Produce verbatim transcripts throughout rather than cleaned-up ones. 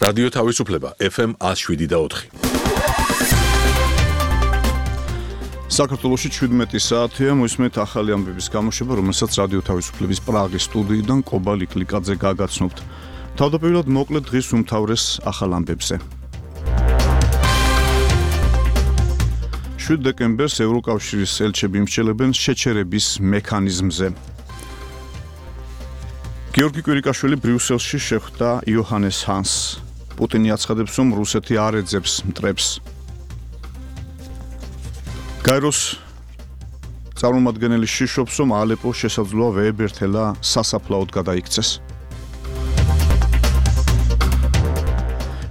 რადიო თავისუფლება ეფ ემ one oh seven და four. საქართველოში შვიდმეტი საათია, მოისმენთ ახალი ამბების გამოშვება, რომელსაც რადიო თავისუფლების პრაღის სტუდიიდან კობა ლიკლიკაძე გაგაცნობთ. თავდაპირველად მოკლედ დღის უმთავრეს ახალ ამბებზე. შვიდ დეკემბერს ევროკავშირის ელჩები იმსჯელებენ შეჩერების მექანიზმზე. გიორგი კვირიკაშვილი ბრიუსელში შეხვდა იოჰანეს ჰანსს. პუტინი აცხადებს, რომ რუსეთი არ ეძებს მტრებს. გაეროს წარმომადგენელი შიშობს, რომ ალეპოს შესაძლოა ვეებერთელა სასაფლაოდ გადაიქცეს.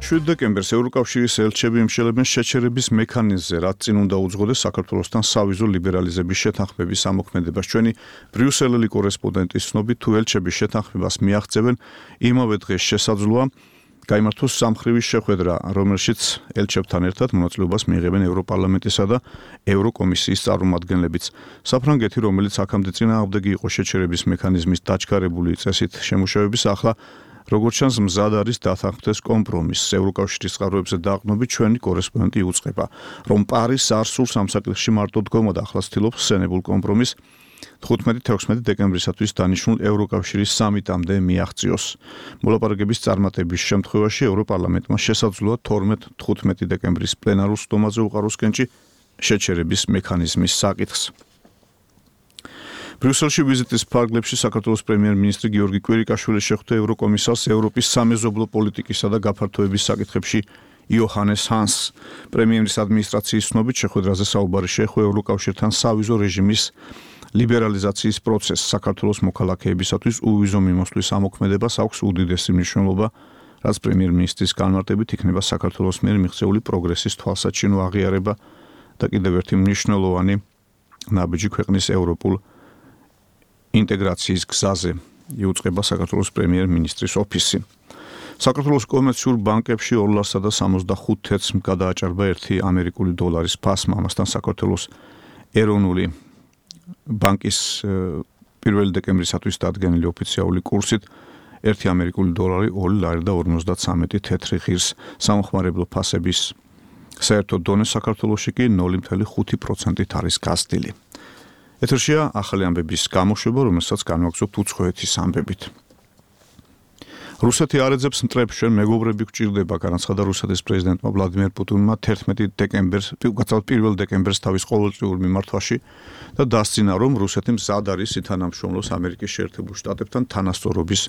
შვიდ დეკემბერს ევროკავშირის ელჩები იმსჯელებენ შეჩერების მექანიზმზე, რაც წინ უნდა უძღოდეს საქართველოსთან სავიზო ლიბერალიზების შეთანხმების ამოქმედებას. ჩვენი ბრიუსელელი კორესპონდენტის ცნობით, თუ ელჩები შეთანხმებას მიაღწევენ, იმავე დღეს შესაძლოა გაიმართოს სამხრივი შეხვედრა, რომელშიც ელჩებთან ერთად მონაწილეობას მიიღებენ ევროპარლამენტისა და ევროკომისიის წარმომადგენლებიც. საფრანგეთი, რომელიც აქამდე წინააღმდეგი იყო შეჩერების მექანიზმის დაჩქარებული წესით შემუშავების, ახლა როგორც ჩანს, მზად არის დათანხმდეს კომპრომისს. ევროკავშირის წყაროებზე დაყრდნობით ჩვენი კორესპონდენტი უწყება, რომ პარიზს არ სურს ამ საკითხში მარტო დგომა და ახლა ცდილობს ხსენებულ კომპრომისს თხუთმეტი-თექვსმეტი დეკემბრისათვის დანიშნულ ევროკავშირის სამიტამდე მიაღწიოს. მოლაპარაკების წარმატების შემთხვევაში ევროპარლამენტმა შესაძლოა თორმეტ-თხუთმეტი დეკემბრის პლენარულ სხდომაზე უყაროს კენჭი შეჩერების მექანიზმის საკითხს. ბრიუსელში ვიზიტის ფარგლებში საქართველოს პრემიერ-მინისტრი გიორგი კვირიკაშვილი შეხვდა ევროკომისარს ევროპის სამეზობლო პოლიტიკისა და გაფართოების საკითხებში იოჰანეს ჰანსს. პრემიერის ადმინისტრაციის ცნობით შეხვედრაზე საუბარი შეეხო ევროკავშირთან სავიზო რეჟიმის ლიბერალიზაციის პროცესს. საქართველოს მოქალაქეებისათვის უვიზო მიმოსვლის ამოქმედებას აქვს უდიდესი მნიშვნელობა, რაც პრემიერ-მინისტრის განმარტებით იქნება საქართველოს მიერ მიღწეული პროგრესის თვალსაჩინო აღიარება და კიდევ ერთი მნიშვნელოვანი ნაბიჯი ქვეყნის ევროპულ ინტეგრაციის გზაზე, იუწყება საქართველოს პრემიერ-მინისტრის ოფისი. საქართველოს კომერციულ ბანკებში ორ და სამოცდახუთ თეთრს გადააჭარბა ერთი ამერიკული დოლარის ფასმა. ამასთან საქართველოს ეროვნული ბანკის პირველი დეკემბრისათვის დადგენილი ოფიციალური კურსით ერთი ამერიკული დოლარი ორი ლარი და ორმოცდათვრამეტი თეთრი ღირს. სამხმარებლო ფასების საერთო დონე საქართველოში კი ნული ფاصლე ხუთი პროცენტით არის გაზრდილი. ეთერშია ახალი ამბების გამოშვება, რომელსაც განვაგრძობთ უცხოეთის ამბებით. რუსეთი არ ეძებს მტრებს, ჩვენ მეგობრები გვჭირდება, განაცხადა რუსეთის პრეზიდენტმა ვლადიმერ პუტინმა თერთმეტი დეკემბერს, გაცილებით პირველ დეკემბერს თავის ყოველწლიურ მიმართვაში და დასძინა, რომ რუსეთი მზად არის ითანამშრომლოს ამერიკის შეერთებულ შტატებთან თანასწორობის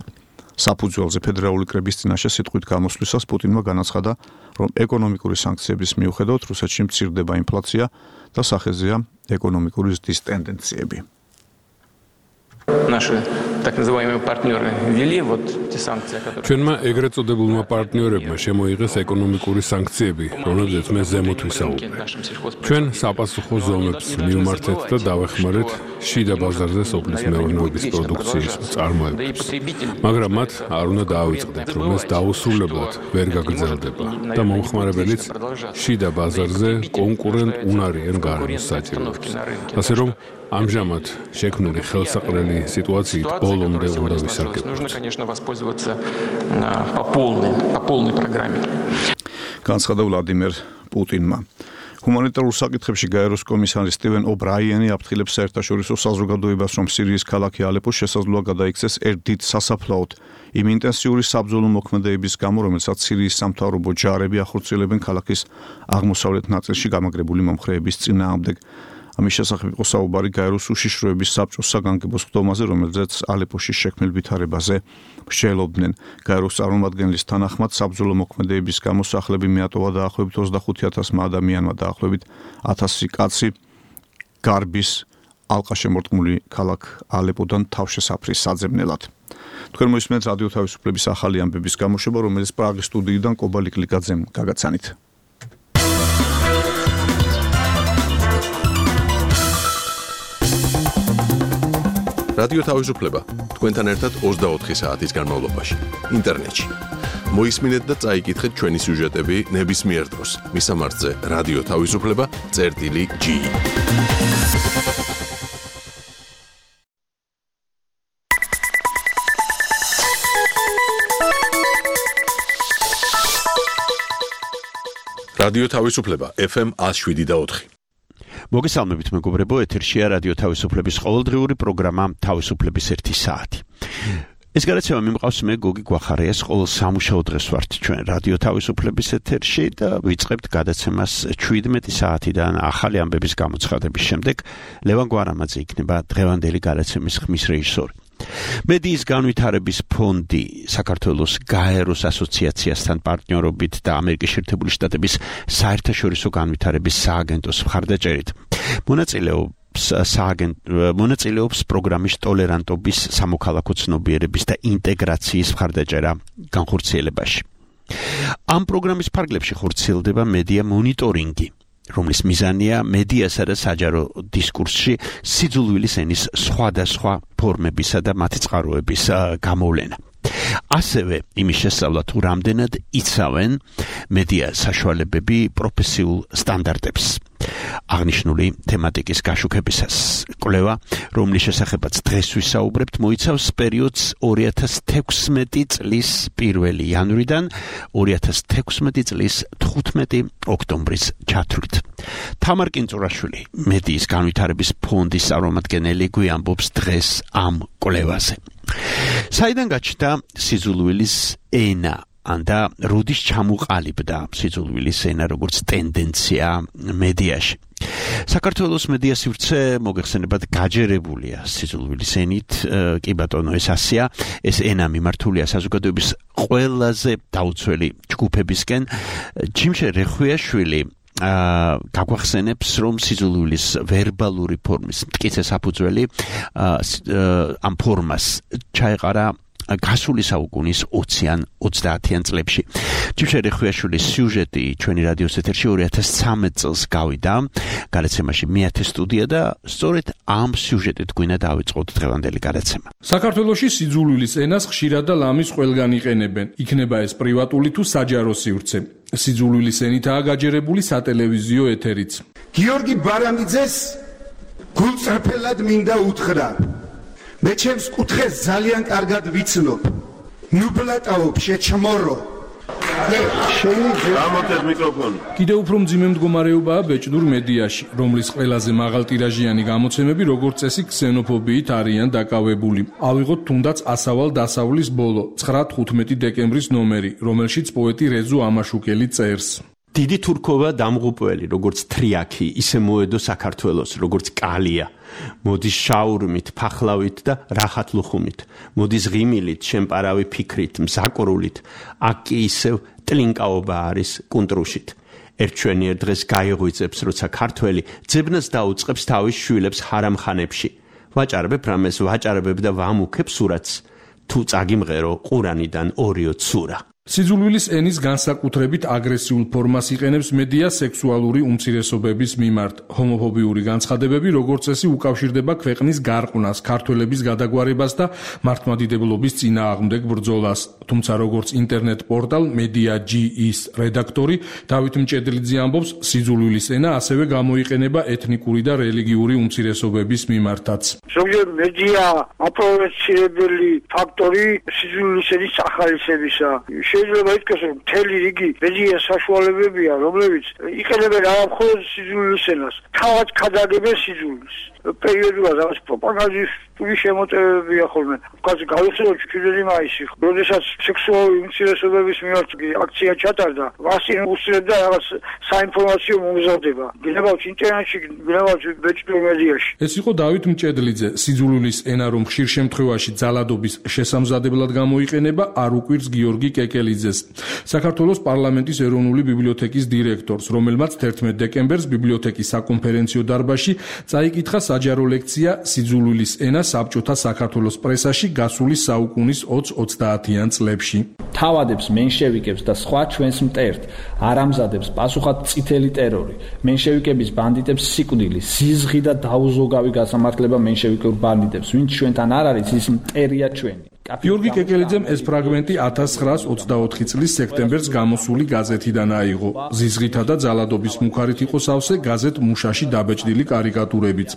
საფუძველზე. ფედერალური კრების წინაშე სიტყვით გამოსვლისას პუტინმა განაცხადა, რომ ეკონომიკური სანქციების მიუხედავად რუსეთში მცირდება ინფლაცია და სახეზეა ეკონომიკური ზრდის ტენდენციები. Наши так называемые партнеры ввели вот те санкции, которые ჩვენმა ეგრეთ წოდებულმა პარტნიორებმა შემოიღეს ეკონომიკური სანქციები, რომლებზეც მე ზემოთ ვისაუბრე. ჩვენ საპასუხო ზომებს მივმართეთ და დავეხმარეთ შიდა ბაზარზე სოფლის მეურნეობის პროდუქციის წარმოებებს. მაგრამ მათ არ უნდა დაავიწყდეთ, რომ ეს დაუსრულებლად ვერ გაგრძელდება და მომხმარებელიც შიდა ბაზარზე კონკურენტ უნარიან გარემოს საჭიროებს. ასე რომ ამჟამად შექმნილი ხელსაყრელი სიტუაციით ბოლომდე უნდა ვისარგებლოთ. Нужно, конечно, воспользоваться по полной, по полной программе. განაცხადა ვლადიმერ პუტინმა. ჰუმანიტარულ საკითხებში გაეროს კომისარი სტივენ ობრაიანი აფრთხილებს საერთაშორისო საზოგადოებას, რომ სირიის ქალაქი ალეპო შესაძლოა გადაიქცეს ერთ დიდ სასაფლაოდ იმ ინტენსიური საბრძოლო მოქმედებების გამო, რომელსაც სირიის სამთავრობო ჯარები ახორციელებენ ქალაქის აღმოსავლეთ ნაწილში გამაგრებული მომხრეების წინააღმდეგ. ამის შესახებ იყო საუბარი გაეროს უშიშროების საბჭოს საგანგებო სხდომაზე, რომელზეც ალეპოში შექმნილ ვითარებაზე მსჯელობდნენ. გაეროს წარმომადგენლის თანახმად საბრძოლო მოქმედებების გამო სახლები მიატოვა დაახლოებით ოცდახუთი ათასმა ადამიანმა, დაახლოებით ათასი კაცი გარბის ალყაშემორტყმული ქალაქ ალეპოდან თავშესაფრის საძებნელად. თქვენ მოისმენთ რადიო თავისუფლების ახალი ამბების გამოშვება, რომელიც პრაღის სტუდიიდან კობა ლიკლიკაძემ გაგაცანით. რადიო თავისუფლება თქვენთან ერთად ოცდაოთხი საათის განმავლობაში ინტერნეტში. მოისმინეთ და წაიკითხეთ ჩვენი სიუჟეტები ნებისმიერ დროს. მისამართზე რადიო თავისუფლება წერტილი ჯი. რადიო თავისუფლება ეფ ემ one oh seven point four. მოგესალმებით მეგობრებო, ეთერშია რადიო თავისუფლების ყოველდღიური პროგრამა თავისუფლების ერთი საათი. ეს გადაცემა მიმყავს მე გოგი გვახარიას, ყოველ სამუშაო დღეს ვართ ჩვენ რადიო თავისუფლების ეთერში და ვიწყებთ გადაცემას შვიდმეტი საათიდან ახალი ამბების გამოცხადების შემდეგ. ლევან გვარამაძე იქნება დღევანდელი გადაცემის ხმის რეჟისორი. მედიის განვითარების ფონდი საქართველოს გაეროს ასოციაციასთან პარტნიორობით და ამერიკის შეერთებული შტატების საერთაშორისო განვითარების სააგენტოს მხარდაჭერით მონაწილეობს მონაწილეობს პროგრამის ტოლერანტობის, სამოქალაქო ცნობიერების და ინტეგრაციის მხარდაჭერა განხორციელებაში. ამ პროგრამის ფარგლებში ხორციელდება მედია მონიტორინგი, რომლის მიზანია მედიასა და საჯარო დისკურსში სიძულვილის ენის სხვადასხვა ფორმებისა და მათი წყაროების გამოვლენა. ასევე იმის შესწავლა თუ რამდენად იცავენ მედია საშუალებები პროფესიულ სტანდარტებს. აღნიშნული თემატიკის გაშუქებისას კვლევა, რომლის შესახებაც დღეს ვისაუბრებთ, მოიცავს პერიოდს ორი ათას თექვსმეტი წლის პირველი იანვრიდან ორი ათას თექვსმეტი წლის თხუთმეტი ოქტომბრის ჩათვლით. თამარ კინწურაშვილი, მედიის განვითარების ფონდის წარმომადგენელი, გვიამბობს დღეს ამ კვლევაზე. საიდან გაჩნდა სიძულვილის ენა და როდის ჩამოყალიბდა სიძულვილის ენა როგორც ტენდენცია მედიაში. საქართველოს მედია სივრცე მოგეხსენებათ გაჯერებულია სიძულვილის ენით, კი ბატონო, ეს ასია, ეს ენა მიმართულია საზოგადოების ყველაზე დაუცველი ჯგუფებისკენ. ჯიმშე რეხვიაშვილი გაგვახსენებს, რომ სიძულვილის ვერბალური ფორმის მტკიცე საფუძველი ამ ფორმას ჩაეყარა გასული საუკუნის ოციან ოცდაათიან წლებში. ჯიმშე რეხვიაშვილის სიუჟეტი ჩვენი რადიოს ეთერში ორი ათას ცხრამეტ წელს გავიდა გადაცემაში მეათე სტუდია და სწორედ ამ სიუჟეტით გვინდა დავიწყოთ დღევანდელი გადაცემა. საქართველოში სიძულვილის ენას ხშირად და ლამის ყველგან იყენებენ. იქნება ეს პრივატული თუ საჯარო სივრცე. სიძულვილის ენითაა გაჯერებული სატელევიზიო ეთერიც. გიორგი ბარამიძეს გულწრფელად მინდა უთხრა. მე ჩემს კუთხეს ძალიან კარგად ვიცნობ. ნუბლატაობ შეჩმორო. გამოტეთ მიკროფონი. კიდევ უფრო მძიმე მდგომარეობაა ბეჭდურ მედიაში, რომლის ყველაზე მაღალტირაჟიანი გამოცემები როგორც წესი ქსენოფობიით არიან დაკავებული. ავიღოთ თუნდაც ასავალ დასავლის ბოლო, ცხრა თხუთმეტი დეკემბრის ნომერი, რომელშიც პოეტი რეზუ ამაშუკელი წერს. დიდი თურქობა დამღუპველი, როგორც თრიაქი, ისე მოედო საქართველოს, როგორც კალია. მოდის შაურმით, ფახლავით და რახატლუხუმით. მოდის ღიმილით, შემპარავი ფიქრით, მზაკრულით. აქ კი ისევ ტლინკაობა არის კუნტრუშით. ერთჩვენიერ დღეს გაიღვიძებს, როცა ქართველი ძებნას დაუწყებს თავის შვილებს ჰარამხანებში. ვაჭარბებ რამეს, ვაჭარბებ და ვამუქებ სურათს. თუ წაგიმღერო ყურანიდან ორიო ცურა. სიძულვილის ენის განსაკუთრებით აგრესიულ ფორმას იყენებს მედია სექსუალური უმცირესობების მიმართ. ჰომოფობიური განცხადებები როგორც წესი უკავშირდება ქვეყნის გარყვნას, ქართველების გადაგვარებას და მართლმადიდებლობის წინააღმდეგ ბრძოლას. თუმცა როგორც ინტერნეტ პორტალ Media.gr-ის რედაქტორი დავით მჭედლიძე ამბობს, სიძულვილის ენა ასევე გამოიყენება ეთნიკური და რელიგიური უმცირესობების მიმართაც. ზოგიერთ მედია აპროვეცირებელი ფაქტორი სიძულვილის ენის ახალისებისა. შეიძლება ითქვას, რომ მთელი რიგი მედია საშუალებებია, რომლებიც იყენებენ არა მხოლოდ სიძულვილის ენას, თავად ქადაგებენ სიძულვილს. პერიოდულად რაღაც პროპაგანდისტული შემოტევებია ხოლმე. ვთქვათ, გავიხსენოთ ჩვიდმეტი მაისი, როდესაც სექსუალური უმცირესობების მიმართ აქცია ჩატარდა, ვასინ უსწრებდა რაღაც საინფორმაციო მომზადება. გნებავთ ინტერნეტში, გნებავთ ბეჭდურ მედიაში. ეს იყო დავით მჭედლიძე. სიძულვილის ენა, რომ ხშირ შემთხვევაში ძალადობის შესამზადებლად გამოიყენება, არ უკვირს გიორგი კეკელიძეს, საქართველოს პარლამენტის ეროვნული ბიბლიოთეკის დირექტორს, რომელმაც თერთმეტ დეკემბერს ბიბლიოთეკის საკონფერენციო დარბაზში წაიკითხა საჯარო ლექცია სიძულვილის ენა საბჭოთა საქართველოს პრესაში გასული საუკუნის ოცდაათიან წლებში. თავადებს მენშევიკებს და სხვა ჩვენს მტერთ არ ამზადებს პასუხად წითელი ტერორი, მენშევიკების ბანდიტებს სიკვდილი, სიზღი და დაუზოგავი გასამართლება მენშევიკურ ბანდიტებს, ვინც ჩვენთან არ არის, ის მტერია ჩვენი. გიორგი კეკელიძემ ეს ფრაგმენტი ათას ცხრაას ოცდაოთხი წლის სექტემბერს გამოსული გაზეთიდან აიღო. ზიზღითა და ძალადობის მუხარით იყო სავსე გაზეთ მუშაში დაბეჭდილი კარიკატურებიც.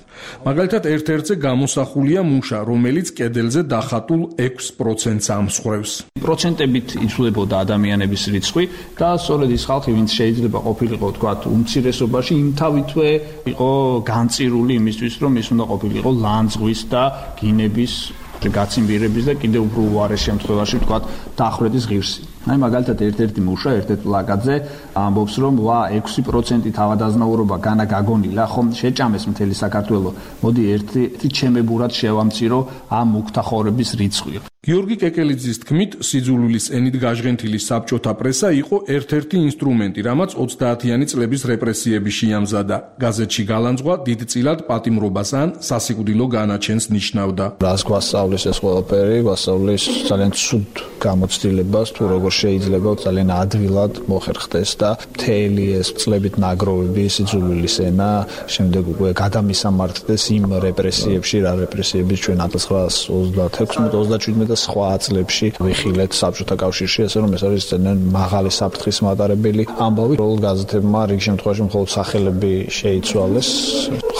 მაგალითად, ერთ-ერთზე გამოსახულია მუშა, რომელიც კედელზე დახატულ ექვს პროცენტს ამსხვრევს. პროცენტებით იცვლებოდა ადამიანების რიცხვი და სწორედ ის ხალხი, ვინც შეიძლება ყოფილიყო, თქვათ, უმცირესობაში, იმთავითვე იყო განწირული იმისთვის, რომ ის უნდა ყოფილიყო ლანძღვის და გინების გაციმბირების და კიდევ უფრო უარეს შემთხვევაში ვთქვათ დახვრეტის ღირსი. აი მაგალითად ერთ-ერთი მუშა ერთ-ერთ პლაკატზე ამბობს რომ ვა ექვსი პროცენტი თავადაზნაურობა განა გაგონილა ხომ შეჭამეს მთელი საქართველო. მოდი ერთი ჩემებურად შევამცირო ამ მუქთახორების რიცხვი. გიორგი კეკელიძის თქმით, სიძულვილის ენით გაჟღენთილი საბჭოთა პრესა იყო ერთ-ერთი ინსტრუმენტი, რამაც ოცდაათიანი წლების რეპრესიები შეამზადა. გაზეთში გალანძღვა დიდწილად პატიმრობას ან სასიკვდილო განაჩენს ნიშნავდა. რას გვასწავლის ეს ყველაფერი, გვასწავლის ძალიან ცუდ გამოცდილებას, თუ როგორ შეიძლება ძალიან ადვილად მოხერხდეს და მთელი ეს წლებით ნაგროვები სიძულვილის ენა შემდეგ უკვე გადამისამართდეს იმ რეპრესიებში, რა რეპრესიების ჩვენ ათას ცხრაას ოცდაექვსი ოცდაშვიდმეტ და სხვა წლებში ვიხილეთ საბჭოთა კავშირში, ასე რომ ეს არის ძალიან მაღალი საფრთხის მატარებელი ამბავი. როლ გაზეთებმა რიგ შემთხვევაში მხოლოდ სახელები შეიცვალეს,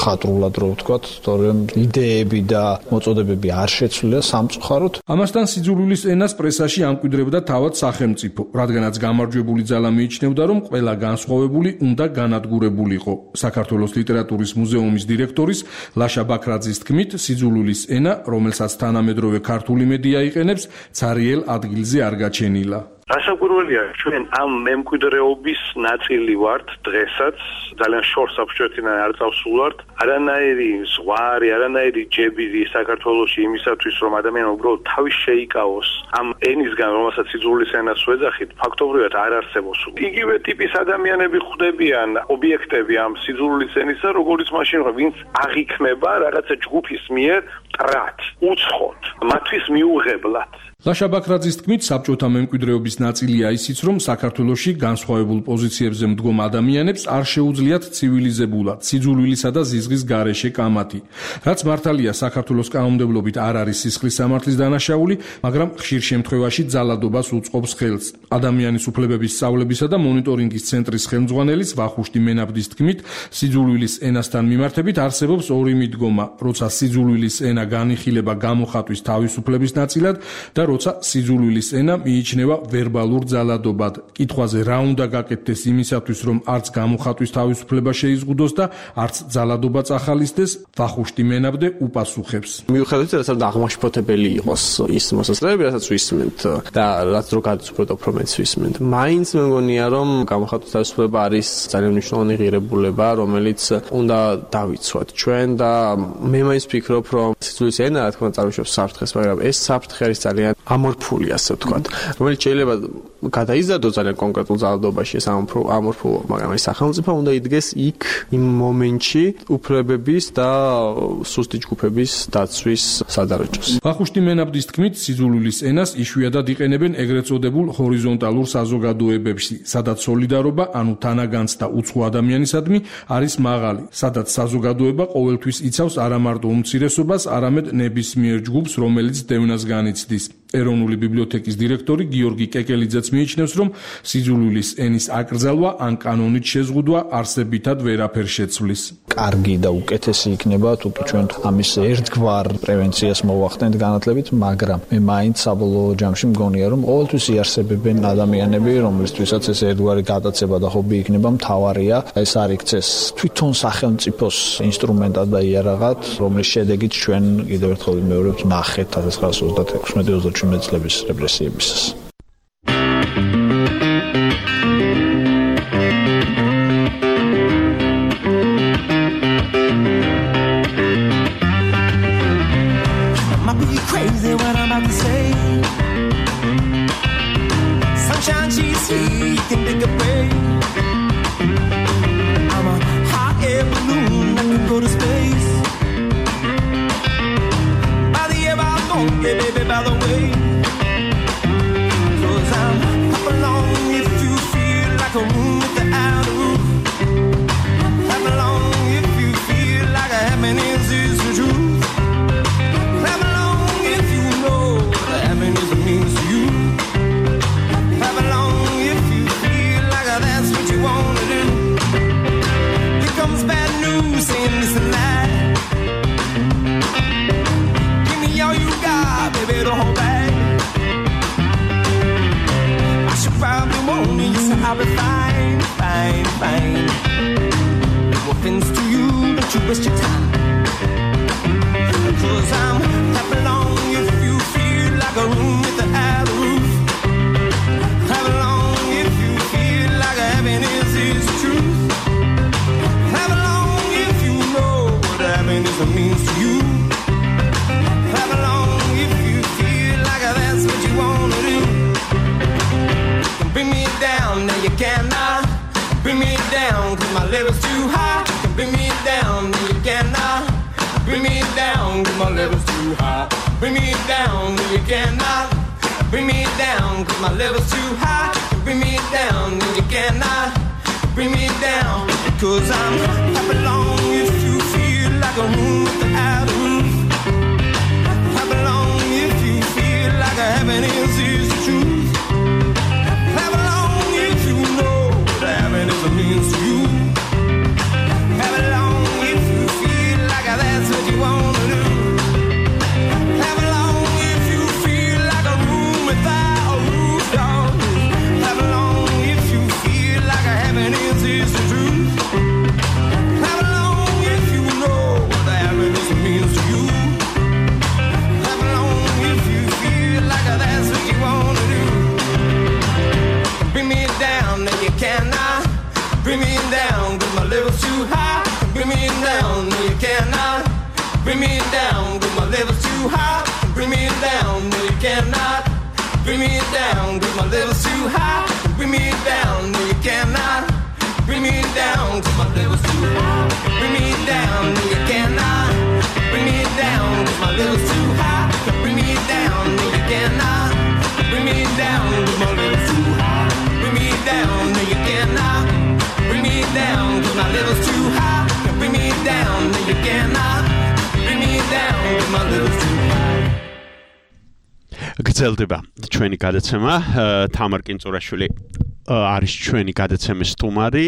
ხატრულად რო ვთქვათ, თორემ იდეები და მოწოდებები არ შეცვლია სამწუხაროდ. ამასთან სიძულვილის ენას პრესაში ამკვიდრებდა თავად სახელმწიფო, რადგანაც გამარჯვებული ძალა მიიჩნევდა, რომ ყველა განსხვავებული უნდა განადგურებულიყო. საქართველოს ლიტერატურის მუზეუმის დირექტორის ლაშა ბაქრაძის თქმით, სიძულვილის ენა, რომელსაც თანამედროვე ქართული მედია იყენებს, ცარიელ ადგილზე არ გაჩენილა. რასაკვირველია, ჩვენ ამ მემკვიდრეობის ნაწილი ვართ დღესაც, ძალიან შორს საბჭოთიდან არ წავსულვართ. არანაირი ზღვარი, არანაირი ჯებირი საქართველოში იმისათვის, რომ ადამიანი უბრალოდ თავის შეიკავოს ამ ენისგან, რომელსაც სიძულვილის ენას ვეძახით, ფაქტობრივად არ არსებობს. იგივე ტიპის ადამიანები ხვდებიან ობიექტები ამ სიძულვილის ენისა, როგორც მაშინ, ვინც აღიქმება რაღაცა ჯგუფის მიერ მტრად, უცხოთ, მათთვის მიუღებლად. ლაშა ბაქრაძის თქმით, საბჭოთა მემკვიდრეობის ნაწილია ისიც, რომ საქართველოში განსხვავებულ პოზიციებზე მდგომ ადამიანებს არ შეუძლიათ ცივილიზებულად, სიძულვილისა და ზიზღის გარეშე კამათი. რაც მართალია, საქართველოს კანონმდებლობით არ არის სისხლის სამართლის დანაშაული, მაგრამ ხშირ შემთხვევაში ძალადობას უწყობს ხელს. ადამიანის უფლებების სწავლებისა და მონიტორინგის ცენტრის ხელმძღვანელის ვახუშტი მენაბდის თქმით, სიძულვილის ენასთან მიმართებით არსებობს ორი მიდგომა, როცა სიძულვილის ენა განიხილება გამოხატვის თავისუფლების ნაწილად და როცა სიძულვილის ენა მიიჩნევა ვერბალურ ძალადობად. კითხვაზე რა უნდა გაკეთდეს იმისათვის, რომ არც გამოხატვის თავისუფლება შეიზღუდოს და არც ძალადობა წახალისდეს, ვახუშტი მენაბდე უპასუხებს. მიუხედავად იმისა, რომ აღმაშფოთებელი იყოს ის მოსაზრებები, რასაც ვისმენთ და რაც რო გადაწყვეტ უფრო მეც ვისმენთ. მაინც მე მგონია, რომ გამოხატვის თავისუფლება არის ძალიან მნიშვნელოვანი ღირებულება, რომელიც უნდა დავიცვათ ჩვენ და მე მაინც ვფიქრობ, რომ სიძულვილის ენა, რა თქმა უნდა, წარმოშობს საფრთხეს, მაგრამ ეს საფრთხე არის ძალიან ამორფული, ასე ვთქვათ, რომელიც შეიძლება გადაიზარდოს ძალიან კონკრეტულ ძალადობაში ეს ამორფულობა, მაგრამ ეს სახელმწიფო უნდა იდგეს იქ იმ მომენტში უფლებების და სუსტი ჯგუფების დაცვის სადარაჯოს. ვახუშტი მენაბდის თქმით, სიძულვილის ენას იშვიათად იყენებენ ეგრეთ წოდებულ ჰორიზონტალურ საზოგადოებებში, სადაც სოლიდარობა, ანუ თანაგანცდა უცხო ადამიანისადმი არის მაღალი, სადაც საზოგადოება ყოველთვის იცავს არა მარტო უმცირესობას, არამედ ნებისმიერ ჯგუფს, რომელიც დევნას განიცდის. ეროვნული ბიბლიოთეკის დირექტორი გიორგი კეკელიძეც მიიჩნევს, რომ სიძულვილის ენის აკრძალვა ან კანონით შეზღუდვა არსებითად ვერაფერს შეცვლის. კარგი და უკეთესი იქნება, თუ კი ჩვენ ამის ერთგვარ პრევენციას მოვახდენთ განათლებით, მაგრამ მე მაინც საბოლოო ჯამში მგონია, რომ ყოველთვის იარსებებენ ადამიანები, რომლისთვისაც ეს ერთგვარი გადაცება და ჰობი იქნება მთავარია, ეს არ იქცეს თვითონ სახელმწიფოს ინსტრუმენტად და იარაღად, რომლის შედეგით ჩვენ კიდევ ერთხელ ვიმეორებთ ნახეთ ათას ცხრაას ოცდაექვსი ოცდაშვიდმეტ წლების რეპრესიებისას. I'll be fine, fine, fine. No offense to you, don't you waste your time. Cause I'm happy long if you feel like a room without a roof. Happy long if you feel like happiness is the truth. Happy long if you know what happiness means to you. Happy long if you feel like that's what you wanna do. You can bring me down, now you cannot bring me down, cause my level's too high. You can bring me down, now you cannot bring me down, cause my level's too high. Bring me down, no you cannot. Bring me down, cause my level's too high. Bring me down, no you cannot. Bring me down, cause I'm happy long if you feel like a room without a roof. Happy long if you feel like a happiness is the truth. Happy long if you know what happiness means to you. Happy long if you feel like that's what you wanna do. Happy long if you feel like a room without a roof, dog. Happy long if you feel like a happiness is the truth. Happy long if you know what happiness means to you. Happy long if you feel like that's what you wanna do. Bring me down, now you cannot. Bring me down, cause my level's too high. Bring me down, no you cannot. Bring me down, cause my level's too high. Bring me down, no you cannot. Bring me down, cause my level's too high. Bring me down, no you cannot. Bring me down, cause my level's too high. Bring me down, no you cannot. Bring me down, cause my level's too high. Bring me down, no you cannot. Bring me down, cause my level's too high. Bring me down, no you cannot. Bring me down, cause my level's too high. Bring me down, no you cannot. Bring me down, cause my level's too high. გრძელდება ჩვენი გადაცემა თამარ კინწურაშვილი არის ჩვენი გადაცემის სტუმარი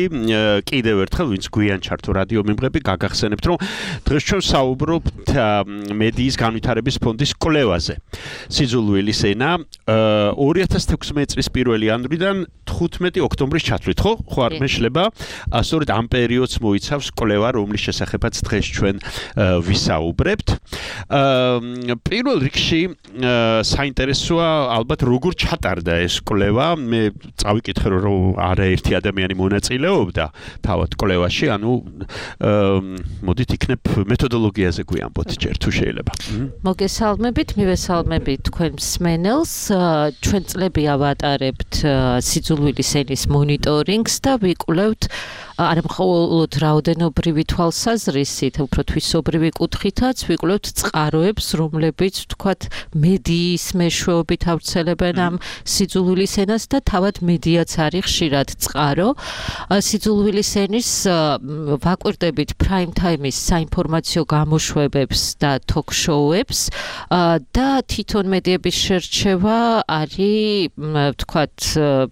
კიდევ ერთხელ ვინც გვიან ჩართო რადიო მიმღები გაგახსენებთ რომ დღეს ჩვენ საუბრობთ მედიის განვითარების ფონდის კვლევაზე სიძულვილის ენა ორი ათას თექვსმეტი წლის პირველი იანვრიდან თხუთმეტი ოქტომბრის ჩათვლით ხო ხო არ მეშლება სწორედ ამ პერიოდს მოიცავს კვლევა რომლის შესახებაც დღეს ჩვენ ვისაუბრებთ პირველ რიგში საინტერესოა ალბათ როგორ ჩატარდა ეს კვლევა მე წავიკითხე რომ არაერთი ადამიანი მონაწილეობდა თავად კვლევაში ანუ მოდით იქნებ მეთოდოლოგიაზე გვიამბოთ ჯერ თუ შეიძლება მოგესალმებით მივესალმებით თქვენ მსმენელს ჩვენ წლები ავატარებთ სიძულვილის ენის მონიტორინგს და ვიკვლევთ არა მხოლოდ რაოდენობრივი თვალსაზრისით, უფრო თვისობრივი კუთხითაც ვიკვლევთ წყაროებს, რომლებიც ვთქვათ მედიის მეშვეობით ავრცელებენ ამ სიძულვილის ენას და თავად მედიაც არის ხშირად წყარო. სიძულვილის ენის ვაკვირდებით prime time-ის საინფორმაციო გამოშვებებს და talk-show-ებს და თვითონ მედიების შერჩევა არის ვთქვათ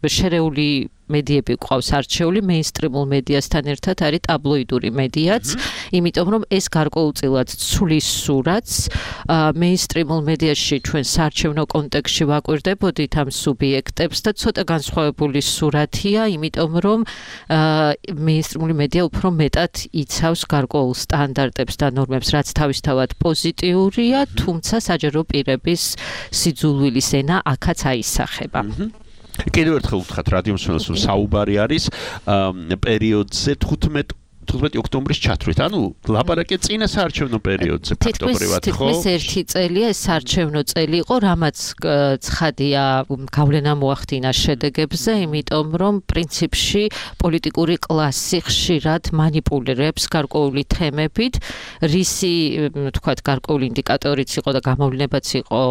შერეული მედიები ყავს არჩეული მეინსტრიმულ მედიასთან ერთად არის ტაბლოიდური მედიაც, იმიტომ რომ ეს გარკვეულწილად ცვლის სურათს მეინსტრიმულ მედიაში ჩვენ საარჩევნო კონტექსტში ვაკვირდებოდით ამ სუბიექტებს და ცოტა განსხვავებული სურათია, იმიტომ რომ მეინსტრიმული მედია უფრო მეტად იცავს გარკვეულ სტანდარტებს და ნორმებს, რაც თავისთავად პოზიტიურია, თუმცა საჯარო პირების სიძულვილის ენა აქაც აისახება. კიდევ ერთხელ ვთქვათ რადიო მსმენელს რომ საუბარი არის პერიოდზე თხუთმეტი ოქტომბრის ჩათვლით. ანუ ლაპარაკია წინა საარჩევნო პერიოდზე ფაქტობრივად ხო? თითქმის ერთი წელია ეს საარჩევნო წელი იყო, რამაც ცხადია გავლენა მოახდინა შედეგებზე, იმიტომ რომ პრინციპში პოლიტიკური კლასი ხშირად მანიპულირებს გარკვეული თემებით, რისი თქვათ გარკვეული ინდიკატორიც იყო და გამოვლენებაც იყო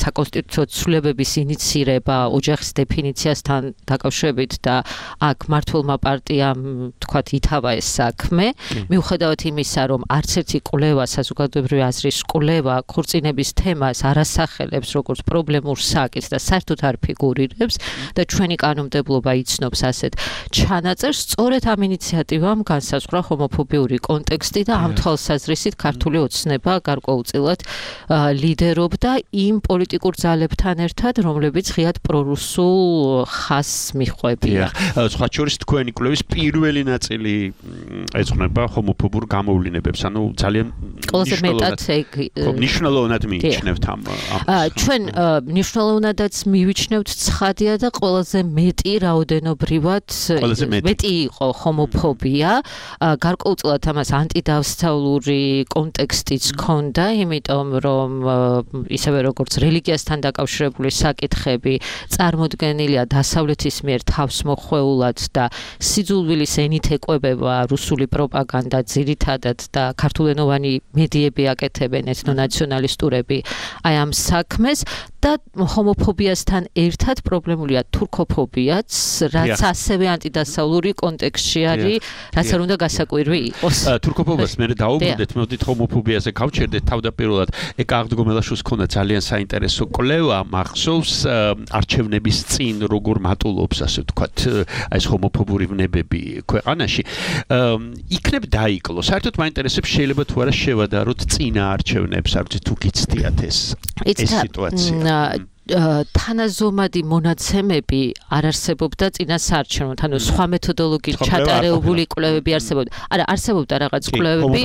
საკონსტიტუციო ცვლილებების ინიცირება ოჯახის დეფინიციასთან დაკავშირებით და აქ მართლმა პარტიამ თქვათ ითავა ეს საქმე, მიუხედავად იმისა, რომ არც ერთი კვლევა, საზოგადოებრივი აზრის კვლევა ქორწინების თემას არ ასახელებს როგორც პრობლემურ საკითხს და საერთოდ არ ფიგურირებს და ჩვენი კანონმდებლობა იცნობს ასეთ ჩანაწერს, სწორედ ამ ინიციატივამ განსაზღვრა ჰომოფობიური კონტექსტი და ამ თვალსაზრისით ქართული ოცნება გარკვეულწილად ლიდერობდა იმ პოლიტიკურ ძალებთან ერთად, რომლებიც ღიად პრორუსულ ხაზს მიჰყვებიან. სხვა შორის თქვენი კვლევის პირველი ნაწილი ეძღვნება ჰომოფობურ გამოვლინებებს, ანუ ძალიან ყველაზე მეტად მნიშვნელოვნად მიიჩნევთ ამ ჩვენ მნიშვნელოვნადაც მივიჩნევთ ცხადია და ყველაზე მეტი რაოდენობრივად მეტი იყო ჰომოფობია, გარკვეულწილად ამას ანტიდავსწავლური კონტექსტიც ჰქონდა, იმიტომ რომ ისევე როგორც რელიგიასთან დაკავშირებული საკითხები წარმოდგენილია დასავლეთის მიერ თავსმოხვეულად და სიძულვილის ენით ეკვებება რუსული პროპაგანდა ძირითადად და ქართულენოვანი მედიები აკეთებენ ეთნონაციონალისტურები აი ამ საქმეს და ჰომოფობიასთან ერთად პრობლემულია თურქოფობიაც, რაც ასევე ანტიდასავლური კონტექსტში არის, რაც არ უნდა გასაკვირვი იყოს. თურქოფობიას მე დაუბრუნდეთ, მოდით ჰომოფობიაზე გავჩერდეთ თავდაპირველად. ეკა აღდგომელაშვილს ქონდა ძალიან საინტერესო კვლევა, მახსოვს არჩევნების წინ როგორ მატულობს, ასე ვთქვათ, ეს ჰომოფობური ვნებები ქვეყანაში. იქნებ დაიკლო. საერთოდ მაინტერესებს შეიძლება თუ არა შევადაროთ წინა არჩევნებს, არ ვიცი თუ გიცდიათ ეს ეს სიტუაცია. თანაზომადი მონაცემები არ არსებობდა წინა საარჩევნოდ, ანუ სხვა მეთოდოლოგიით ჩატარებული კვლევები არსებობდა. არა, არსებობდა რაღაც კვლევები,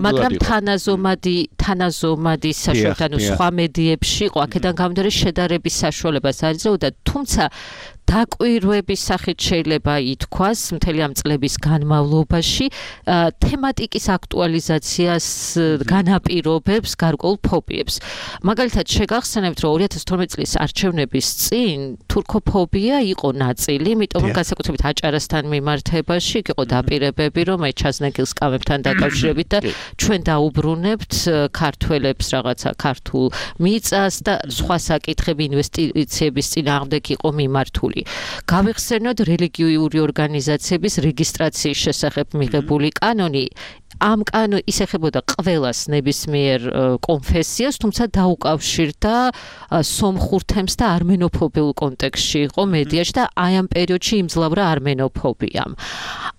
მაგრამ თანაზომადი თანაზომადი საშუალებით, ანუ სხვა მედიებში იყო, აქედან გამომდინარე შედარების საშუალებას არ იძლეოდა, თუმცა დაკვირვების სახით შეიძლება ითქვას მთელი ამ წლების განმავლობაში თემატიკის აქტუალიზაციას განაპირობებს გარკვეულ ფობიებს. მაგალითად შეგახსენებთ, რომ ორი ათას თორმეტი წლის არჩევნების წინ თურქოფობია იყო ნაწილი, იმიტომ რომ განსაკუთრებით აჭარასთან მიმართებაში იქ იყო დაპირებები, რომ აი ჩაზნეკილ სკამებთან დაკავშირებით და ჩვენ დაუბრუნებთ ქართველებს რაღაცა ქართულ მიწას და სხვა საკითხები ინვესტიციების წინააღმდეგ იყო მიმართული. გავიხსენოთ რელიგიური ორგანიზაციების რეგისტრაციის შესახებ მიღებული კანონი. ამ კანონი ისეხებოდა ყველას ნებისმიერ კონფესიას, თუმცა დაუკავშირდა სომხურ თემს და armenophobiul კონტექსტში იყო მედიაში და აი ამ პერიოდში იმძლავრა armenophobiam.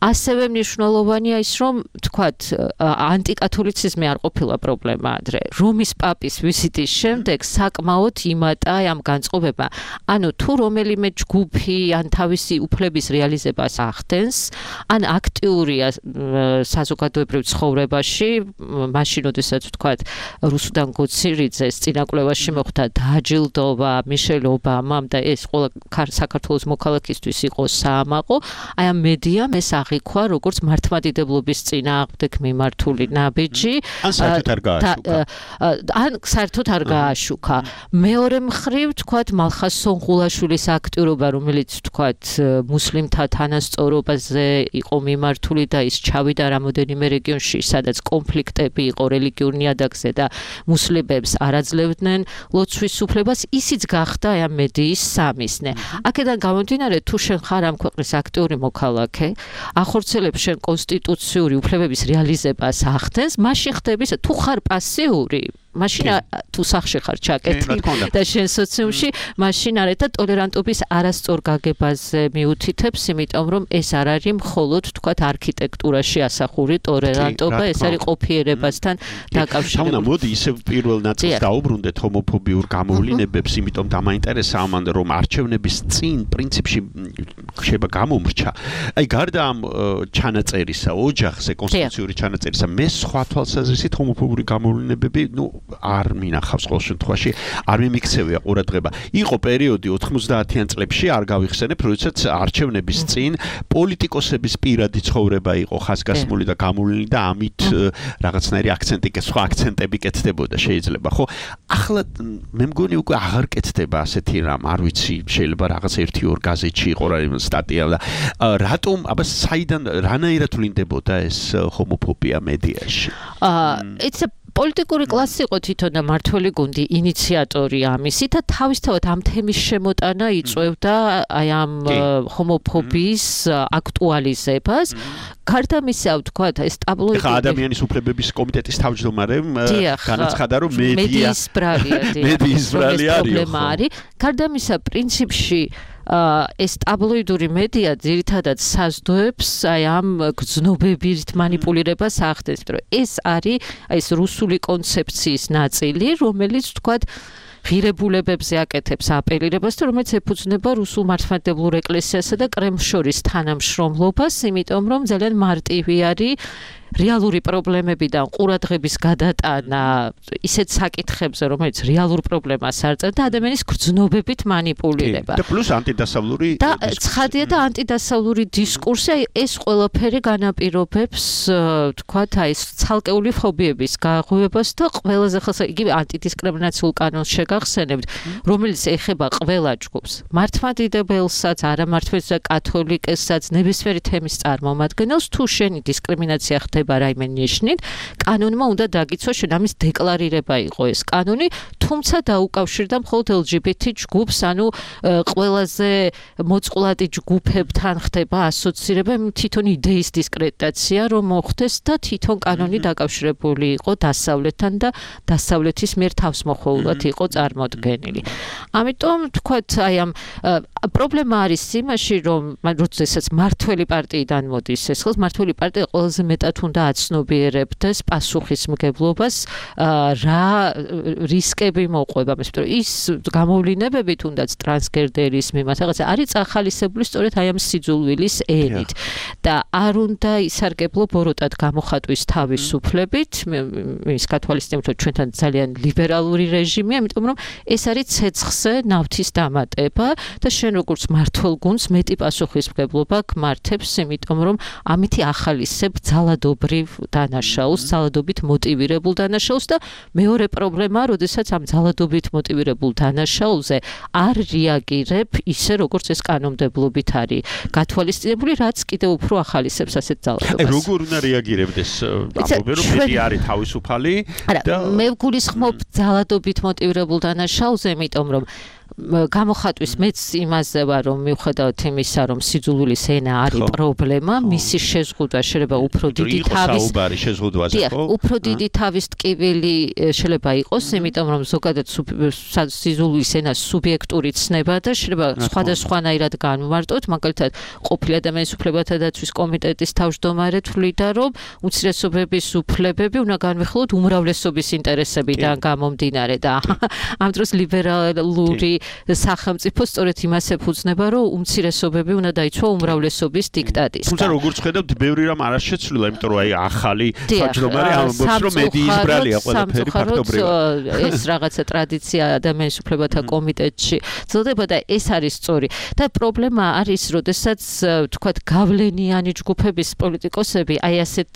ასევე მნიშვნელოვანია ის, რომ თქვათ ანტიკათოლიციზმი არ ყოფილა პრობლემა ადრე. რომის პაპის ვიზიტის შემდეგ საკმაოდ იმატა ამ განწყობებმა. ანუ თუ რომელიმე ჯგუფი ან თავისი უფლების რეალიზებას ახდენს, ან აქტიურია საზოგადოებრივ ცხოვრებაში, მაშინ როდესაც ვთქვათ რუსუდან გოცირიძეს წინაკვლევაში მოხდა დააჯილდოვა მიშელ ობამამ და ეს ყველა საქართველოს მოქალაქისთვის იყო საამაყო, აი ამ მედიამ ეს აღიქვა როგორც მართლმადიდებლობის წინააღმდეგ მიმართული ნაბიჯი. ან საერთოდ არ გააშუქა. ან საერთოდ არ გააშუქა. მეორე მხრივ ვთქვათ მალხაზ სონღულაშვილის აქტიურობა, რომელიც ვთქვათ მუსლიმთა თანასწორობაზე იყო მიმართული და ის ჩავიდა რამოდენიმე რეგიონში, სადაც კონფლიქტები იყო რელიგიურ ნიადაგზე და მუსლიმებს არ აძლევდნენ ლოცვის უფლებას, ისიც გახდა აი ამ მედიის სამიზნე. აქედან გამომდინარე, თუ შენ ხარ ამ ქვეყნის აქტიური მოქალაქე, ახორციელებს შენ კონსტიტუციური უფლებების რეალიზებას ახდენს, მაშინ ხდები, თუ ხარ პასიური, მაშინ თუ სახში ხარ ჩაკეტილი და შენ სოციუმში, მაშინ არეთ და ტოლერანტობის არასწორ გაგებაზე მიუთითებს, იმიტომ რომ ეს არ არის მხოლოდ თქვათ არქიტექტურაში ასახული ტოლერანტობა, ეს არის ყოფიერებასთან დაკავშირებული. თამნა მოდი ისევ პირველ ნაწილს დაუბრუნდეთ ჰომოფობიურ გამოვლინებებს, იმიტომ დამაინტერესა ამან რომ არჩევნების წინ პრინციპში შეიძლება გამომრჩა. აი გარდა ამ ჩანაწერისა, ოჯახზე კონსტიტუციური ჩანაწერისა, მე სხვა თვალსაზრისით ჰომოფობიური გამოვლინებები, ნუ არ მინახავს ყოველ შემთხვევაში, არ მიმიქცევია ყურადღება. იყო პერიოდი ოთხმოცდაათიან წლებში, არ გავიხსენებ, როდესაც არჩევნების წინ პოლიტიკოსების პირადი ცხოვრება იყო ხაზგასმული და გამოვლინი და ამით რაღაცნაირი აქცენტი, სხვა აქცენტები კეთდებოდა შეიძლება, ხო? ახლა მე მგონი უკვე აღარ კეთდება ასეთი რამ, არ ვიცი, შეიძლება რაღაც ერთი ორ გაზეთში იყო რა სტატია და რატომ, აბა საიდან რანაირად ვლინდებოდა ეს ჰომოფობია მედიაში? Uh, it's a პოლიტიკური კლასი იყო თვითონ და მართველი გუნდი ინიციატორი ამისი და თავისთავად ამ თემის შემოტანა იწვევდა აი ამ ჰომოფობიის აქტუალიზებას. გარდა მისა, ვთქვათ, ეს ტაბლოიდი ხა ადამიანის უფლებების კომიტეტის თავმჯდომარემ განაცხადა, რომ მედიის ბრალია, მედიის ბრალია არის. გარდა მისა, პრინციპში ეს ტაბლოიდური მედია ძირითადად საზრდოებს აი ამ გრძნობებით манипуლირებას ახდენს, რომ ეს არის აი ეს რუსული კონცეფციის ნაწილი, რომელიც ვთქვათ ღირებულებებზე აკეთებს აპელირებას, რომელიც ეფუძნება რუსულ მართლმადიდებლურ ეკლესიასა და კრემლს შორის თანამშრომლობას, იმიტომ რომ ძალიან მარტივი არის რეალური პრობლემებიდან ყურადღების გადატანა ისეთ საკითხებზე, რომელიც რეალურ პრობლემას არ წერს და ადამიანის გრძნობებით манипуლირება. და პლუს ანტიდასავლური და ცხადია და ანტიდასავლური დისკურსი, ეს ყველაფერი განაპირობებს, თქვათ, აი ეს ცალკეული ფობიების გაღვივებას და ყველაზე ხელს იგივე ანტიდისკრიმინაციულ კანონს შეგახსენებთ, რომელიც ეხება ყველა ჯგუფს, მართლმადიდებელსაც, არამართლმადიდებელს და კათოლიკესაც, ნებისმიერი თემის წარმომადგენელს, თუ შენი დისკრიმინაცია ხდება რაიმე ნიშნით, კანონმა უნდა დაგიცვა შენ ამის დეკლარირება იყო ეს კანონი, თუმცა დაუკავშირდა მხოლოდ ელ ჯი ბი თი ჯგუფს, ანუ ყველაზე მოწყვლადი ჯგუფებთან ხდება ასოცირება, თვითონ იდეის დისკრედიტაცია რომ მოხდეს და თვითონ კანონი დაკავშირებული იყო დასავლეთთან და დასავლეთის მიერ თავსმოხვეულად იყო წარმოდგენილი. ამიტომ თქვათ, აი ამ პრობლემა არის იმაში, რომ როდესაც მართველი პარტიიდან მოდის ეს ხელს, მართველი პარტია ყველაზე მეტად უნდა აცნობიერებდეს პასუხისმგებლობას, რა რისკები მოყვება, იმიტომ რომ ის გამოვლინებები თუნდაც ტრანსგენდერის მიმართ რაღაცა არის წახალისებული სწორედ აი ამ სიძულვილის ენით და არ უნდა ისარგებლო ბოროტად გამოხატვის თავისუფლებით, ის გათვალისწინებთ, რომ ჩვენთან ძალიან ლიბერალური რეჟიმია, იმიტომ რომ ეს არის ცეცხლზე ნავთის დამატება და შენ როგორც მართველ გუნდს მეტი პასუხისმგებლობა გმართებს, იმიტომ რომ ამითი ახალისებ ძალადობრივ დანაშაულს, ძალადობით მოტივირებულ დანაშაულს და მეორე პრობლემაა, როდესაც ამ ძალადობით მოტივირებულ დანაშაულზე არ რეაგირებ ისე, როგორც ეს კანონმდებლობით არის გათვალისწინებული, რაც კიდევ უფრო ახალისებს ასეთ ძალადობას. აი, როგორ უნდა რეაგირებდეს? ამბობენ, რომ მეტი არის თავისუფალი და მე ვგულისხმობ ძალადობით მოტივირებულ დანაშაულზე, იმიტომ რომ გამოხატვის მეც იმაზე ვარ, რომ მიუხედავად იმისა, რომ სიძულვილის ენა არის პრობლემა, მისი შეზღუდვა შეიძლება უფრო დიდი თავის უფრო დიდი თავის ტკივილი შეიძლება იყოს, იმიტომ რომ ზოგადად სიძულვილის ენა სუბიექტური ცნება და შეიძლება სხვადასხვანაირად განვმარტოთ, მაგალითად, ყოფილი ადამიანის უფლებათა დაცვის კომიტეტის თავმჯდომარე თვლიდა, რომ უმცირესობების უფლებები უნდა განვიხილოთ უმრავლესობის ინტერესებიდან გამომდინარე და ამ დროს ლიბერალური სახელმწიფო სწორედ იმას ეფუძნება, რომ უმცირესობები უნდა დაიცვა უმრავლესობის დიქტატისგან. თუმცა როგორც ხედავთ, ბევრი რამ არ შეცვლილა, იმიტომ რომ აი ახალი თავმჯდომარე ამბობს, რომ მედიის ბრალია ყველაფერი ფაქტობრივად. ეს რაღაცა ტრადიცია ადამიანის უფლებათა კომიტეტში ძლდება და ეს არის სწორი. და პრობლემა არის, როდესაც თქვათ გავლენიანი ჯგუფების პოლიტიკოსები აი ასეთ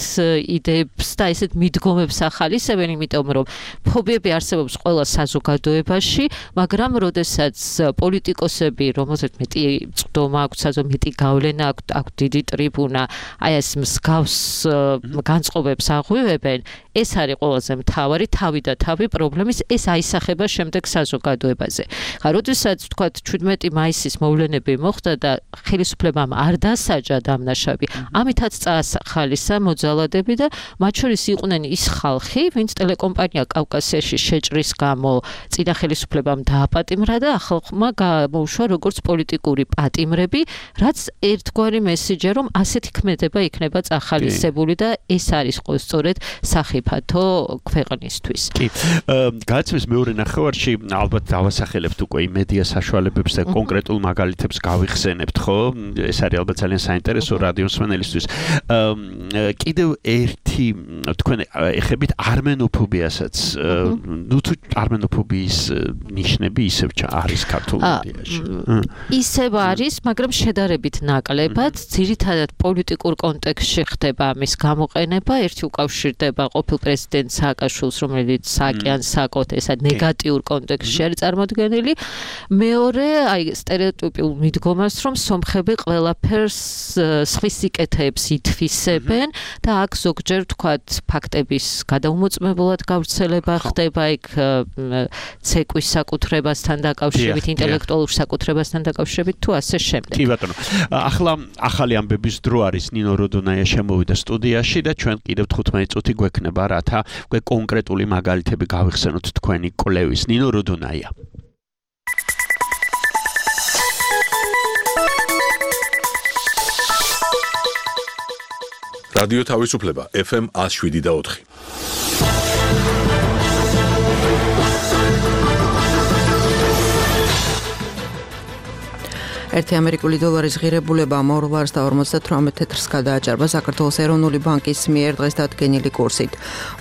იდეებს და ესეთ მიდგომებს ახალისებენ, იმიტომ რომ ფობიები არსებობს ყველა საზოგადოებაში, მაგრამ როდესაც პოლიტიკოსები, რომელსაც მეტი წვდომა აქვს, საზოგადო მეტი გავლენა აქვს, აქვს დიდი ტრიბუნა, აი ეს მსგავს განწყობებს აღვივებენ, ეს არის ყველაზე მთავარი თავი და თავი პრობლემის, ეს აისახება შემდეგ საზოგადოებაზე. ხა, როდესაც თქვათ შვიდმეტი მაისის მოვლენები მოხდა და ხელისუფლებამ არ დასაჯა დამნაშავე, ამითაც წაასახალისა მოძალადები და მათ შორის იყვნენ ის ხალხი, ვინც ტელეკომპანია კავკასიაში შეჭრის გამო წინა ხელისუფლებამ დააპატიმრა და ახალმა გამოუშვა როგორც პოლიტიკური პატიმრები, რაც ერთგვარი მესიჯია, რომ ასეთი ქმედება იქნება წახალისებული და ეს არის სწორედ სახიფათო ქვეყნისთვის. კი. გააცნეს მეორე ნახევარში ალბათ დავასახელებთ უკვე იმედია საშუალებებს და კონკრეტულ მაგალითებს გავიხსენებთ, ხო? ეს არის ალბათ ძალიან საინტერესო რადიოსმენელისთვის. კიდევ ერთი თქვენ ეხებით armenofobia-საც. ნუ თუ armenofobia-ის ნიშნები ისევ არის ქართულ მედიაში. ისევ არის, მაგრამ შედარებით ნაკლებად, ძირითადად პოლიტიკურ კონტექსტში ხდება ამის გამოყენება, ერთი უკავშირდება ყოფილ პრეზიდენტ სააკაშვილს, რომელიც სააკიანს საკოთ ესა ნეგატიურ კონტექსტში არის წარმოდგენილი. მეორე, აი სტერეოტიპულ მიდგომას, რომ სომხები ყველაფერს სხვის სიკეთეებს ითვისებენ და აქ ზოგჯერ ვთქვათ, ფაქტების გადაუმოწმებულად გავრცელება ხდება იქ ცეკვის საკუთრებასთან დაკავშირებით, ინტელექტუალურ საკუთრებასთან დაკავშირებით თუ ასე შემდეგ. კი ბატონო. ახლა ახალი ამბების დრო არის. ნინო როდონაია შემოვიდა სტუდიაში და ჩვენ კიდევ თხუთმეტი წუთი გვექნება, რათა უკვე კონკრეტული მაგალითები გავიხსენოთ თქვენი კვლევის. ნინო როდონაია. რადიო თავისუფლება ეფ ემ one oh seven და four. ერთი ამერიკული დოლარის ღირებულებამ ორ ლარს და ორმოცდათვრამეტ თეთრს გადააჭარბა საქართველოს ეროვნული ბანკის მიერ დღეს დადგენილი კურსით.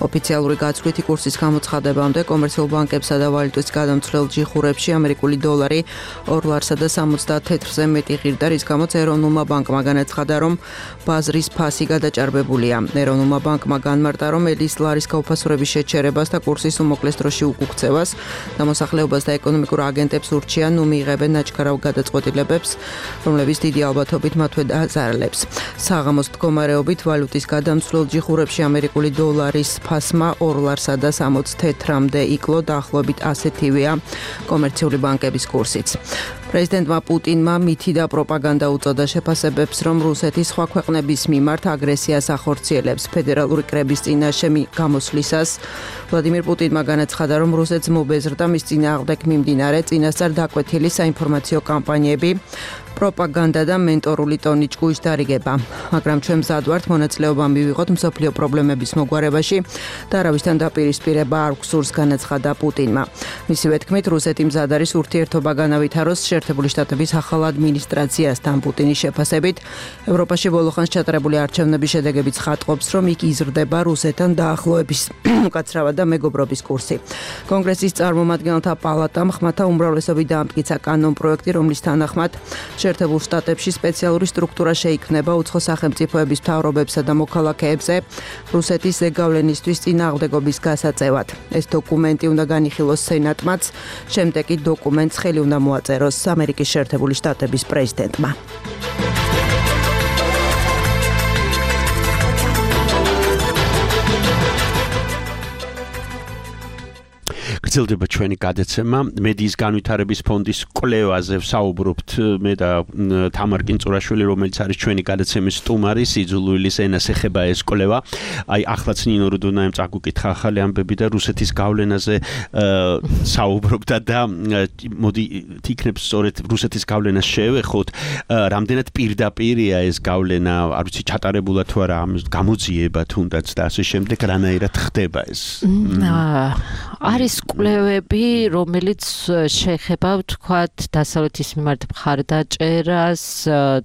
ოფიციალური გაცვლითი კურსის გამოცხადებამდე კომერციულ ბანკებსა და ვალუტის გადამცვლელ ჯიხურებში ამერიკული დოლარი ორ ლარსა და სამოცდაათ თეთრზე მეტი ღირდა, რის გამოც ეროვნულმა ბანკმა განაცხადა, რომ ბაზრის ფასი გადაჭარბებულია. ეროვნულმა ბანკმა განმარტა, რომ ელის ლარის გაუფასურების შეჩერებას და კურსის უმოკლეს დროში უკუქცევას დამოსახლეობას და ეკონომიკურ აგენტებს ურჩია, ნუ მიიღებენ ნაჩქარავ გადაწყვეტილებებს, რომლებიც დიდი ალბათობით მათვე დააზარალებს. საღამოს მდგომარეობით ვალუტის გადამცვლელ ჯიხურებში ამერიკული დოლარის ფასმა ორ ლარსა და სამოცდ თეთრამდე იკლო, დაახლოებით ასეთივეა კომერციული ბანკების კურსიც. პრეზიდენტმა პუტინმა მითი და პროპაგანდა უწოდა შეფასებებს, რომ რუსეთი სხვა ქვეყნების მიმართ აგრესიას ახორციელებს. ფედერალური კრების წინაშე გამოსვლისას ვლადიმირ პუტინმა განაცხადა, რომ რუსეთს მობეზრდა მის წინააღმდეგ მიმდინარე წინასწარ დაკვეთილი საინფორმაციო კამპანიები, პროპაგანდა და მენტორული ტონი ჭკუის დარიგება. მაგრამ ჩვენ მზად ვართ მონაწილეობა მივიღოთ მსოფლიო პრობლემების მოგვარებაში და არავისთან დაპირისპირება არ გვსურს, განაცხადა პუტინმა. მისივე თქმით, რუსეთი მზად არის ურთიერთობა განავითაროს შეერთებული შტატების ახალ ადმინისტრაციასთან. პუტინის შეფასებით, ევროპაში ბოლოხანს ჩატარებული არჩევნების შედეგებიც ხატყობს, რომ იქ იზრდება რუსეთთან დაახლოების უკაცრავად და მეგობრობის კურსი. კონგრესის წარმომადგენელთა პალატამ ხმათა უმრავლესობით დაამტკიცა კანონპროექტი, რომლის თანახმად შეერთებულ შტატებში სპეციალური სტრუქტურა შეიქმნება უცხო სახელმწიფოების მთავრობებსა და მოქალაქეებზე რუსეთის ზეგავლენისთვის წინააღმდეგობის გასაწევად. ეს დოკუმენტი უნდა განიხილოს სენატმაც, შემდეგ კი დოკუმენტს ხელი უნდა მოაწეროს ამერიკის შეერთებული შტატების პრეზიდენტმა. გრძელდება ჩვენი გადაცემა მედიის განვითარების ფონდის კვლევაზე ვსაუბრობთ მე და თამარ კინწურაშვილი, რომელიც არის ჩვენი გადაცემის სტუმარი. სიძულვილის ენას ეხება ეს კვლევა. აი ახლაც ნინო როდონაიმ წაგუკითხა ახალი ამბები და რუსეთის გავლენაზე საუბრობდა და მოდი თიქნებს სწორედ რუსეთის გავლენას შევეხოთ. რამდენად პირდაპირია ეს გავლენა, არ ვიცი ჩატარებულა თუ არა, გამოძიება თუნდაც და ასე შემდეგ, რანაირად ხდება ეს? არის კვლევები, რომელიც შეეხება ვთქვათ დასავლეთის მიმართ მხარდაჭერას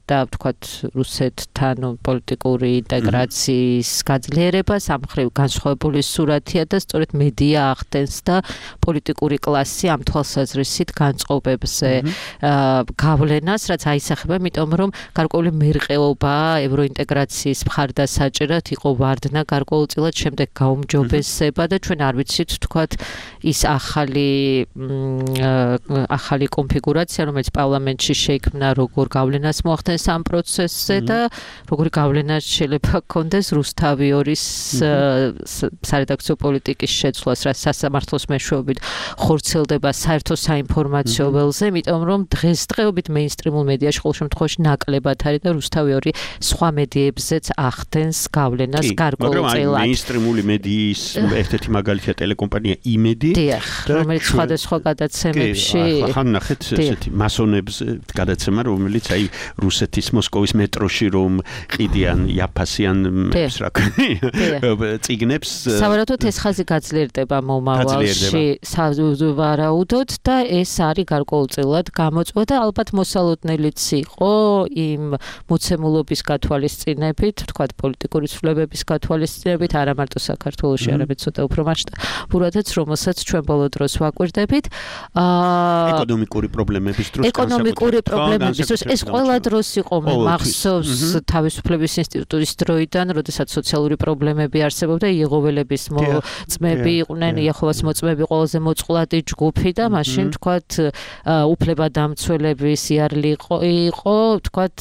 და ვთქვათ რუსეთთან პოლიტიკური ინტეგრაციის გაძლიერებას, ამ მხრივ განსხვავებული სურათია და სწორედ მედია ახდენს და პოლიტიკური კლასი ამ თვალსაზრისით განწყობებზე გავლენას, რაც აისახება, იმიტომ რომ გარკვეული მერყეობა ევროინტეგრაციის მხარდასაჭერად იყო ვარდნა გარკვეულწილად, შემდეგ გაუმჯობესება და ჩვენ არ ვიცით ვთქვათ ის ახალი ახალი კონფიგურაცია, რომელიც პარლამენტში შეიქმნა, როგორ გავლენას მოახდენს ამ პროცესზე და როგორი გავლენა შეიძლება ჰქონდეს რუსთავიორის სარედაქციო პოლიტიკის შეცვლას, რაც სასამართლოს მეშვეობით ხორციელდება საერთო საინფორმაციო ველზე, იმიტომ რომ დღესდღეობით მეინსტრიმულ მედიაში ყოველ შემთხვევაში ნაკლებად არის და რუსთავიორი სხვა მედიებზეც ახდენს გავლენას გარკვეულწილად. მაგრამ მეინსტრიმული მედიის ერთ-ერთი მაგალითია ტელეკომპანია იმედი, რომელიც სხვადასხვა გადაცემებში ახლა ნახეთ ესეთი მასონებს გადაცემა, რომელიც აი რუსეთის მოსკოვის მეტროში რომ ყიდიან იაფასიან რა წიგნებს. სავარაუდოდ ეს ხაზი გაძლიერდება მომავალში სავარაუდოდ და ეს არის გარკვეულწილად გამოწვევა და ალბათ მოსალოდნელიც იყო იმ მოცემულობის გათვალისწინებით, ვთქვათ პოლიტიკური ცვლილებების გათვალისწინებით, არა მარტო საქართველოში, არამედ ცოტა უფრო მასშტაბურადაც, რომელსაც ჩვენ ბოლო დროს ვაკვირდებით. ეკონომიკური პრობლემების დროს ეკონომიკური პრობლემების დროს ეს ყველა დროს იყო მე მახსოვს თავისუფლების ინსტიტუტის დროიდან, როდესაც სოციალური პრობლემები არსებობდა, იეღოველების მოწმები იყვნენ, იეჰოვას მოწმები ყველაზე მოწყვლადი ჯგუფი და მაშინ თქვათ უფლებადამცველების იარლი იყო, თქვათ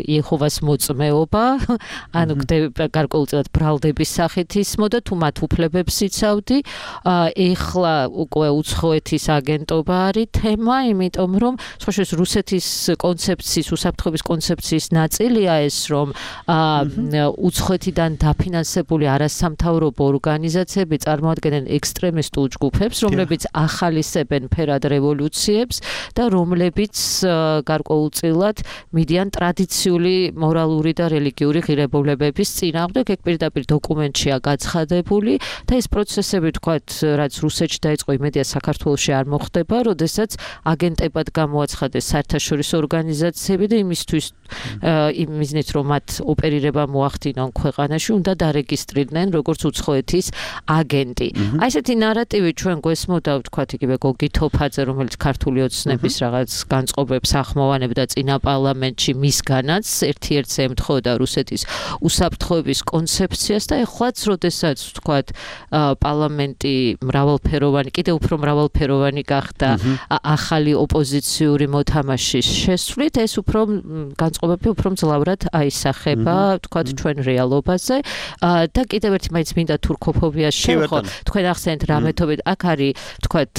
იეჰოვას მოწმეობა, ანუ გარკვეულწილად ბრალდების სახით ისმოდა, თუ მათ უფლებებს იცავდი. ეხლა უკვე უცხოეთის აგენტობა არის თემა, იმიტომ რომ სხვაშორის რუსეთის კონცეფციის, უსაფრთხოების კონცეფციის ნაწილია ეს, რომ უცხოეთიდან დაფინანსებული არასამთავრობო ორგანიზაციები წარმოადგენენ ექსტრემისტულ ჯგუფებს, რომლებიც ახალისებენ ფერად რევოლუციებს და რომლებიც გარკვეულწილად მიდიან ტრადიციული მორალური და რელიგიური ღირებულებების წინააღმდეგ. ეგ პირდაპირ დოკუმენტშია გაცხადებული და ეს პროცესები, თქვათ, რაც რუსეთში დაიწყო, იმედია საქართველოში არ მოხდება, როდესაც აგენტებად გამოაცხადეს საერთაშორისო ორგანიზაციები და იმისთვის იმ მიზნით, რომ მათ ოპერირება მოახდინონ ქვეყანაში, უნდა დარეგისტრირდნენ როგორც უცხოეთის აგენტი. აი ესეთი ნარატივი ჩვენ გვესმოდა, ვთქვათ, იგივე გოგი თოფაძე, რომელიც ქართული ოცნების რაღაც განწყობებს ახმოვანებდა წინა პარლამენტში, მისგანაც ერთ-ერთს ემთხოვდა რუსეთის უსაფრთხოების კონცეფციას და ეხლაც, როდესაც ვთქვათ, პარლამენტი მრავალფეროვანი, კიდევ უფრო მრავალფეროვანი გახდა ახალი ოპოზიციური მოთამაშის შესვლით, ეს უფრო განწყობები უფრო მძლავრად აისახება, თქვათ, ჩვენ რეალობაზე და კიდევ ერთი მაინც მინდა თურქოფობიას შევხო. თქვენ ახსენეთ რა მეთოდით, აქ არის, თქვათ,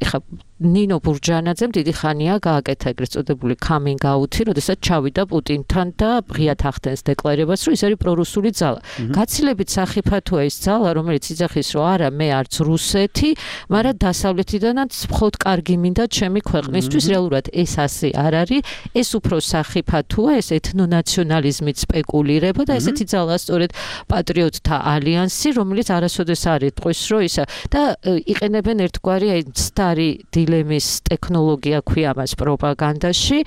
ეხა ნინო ბურჯანაძემ დიდი ხანია გააკეთა ეგრეთ წოდებული coming out-ი, როდესაც ჩავიდა პუტინთან და ღიად ახდენს დეკლარებას, რომ ის არის პრორუსული ძალა. გაცილებით სახიფათოა ის ძალა, რომელიც იძახის, რომ არა, მე არც რუსეთი, მაგრამ დასავლეთიდანაც მხოლოდ კარგი მინდა ჩემი ქვეყნისთვის. რეალურად ეს ასე არ არის, ეს უფრო სახიფათოა, ეს ეთნონაციონალიზმით სპეკულირება და ესეთი ძალა სწორედ პატრიოტთა ალიანსი, რომელიც არასოდეს არ იტყვის, რომ ისა და იყენებენ ერთგვარი აი სტარი დილემის ტექნოლოგია ქვია მას პროპაგანდაში.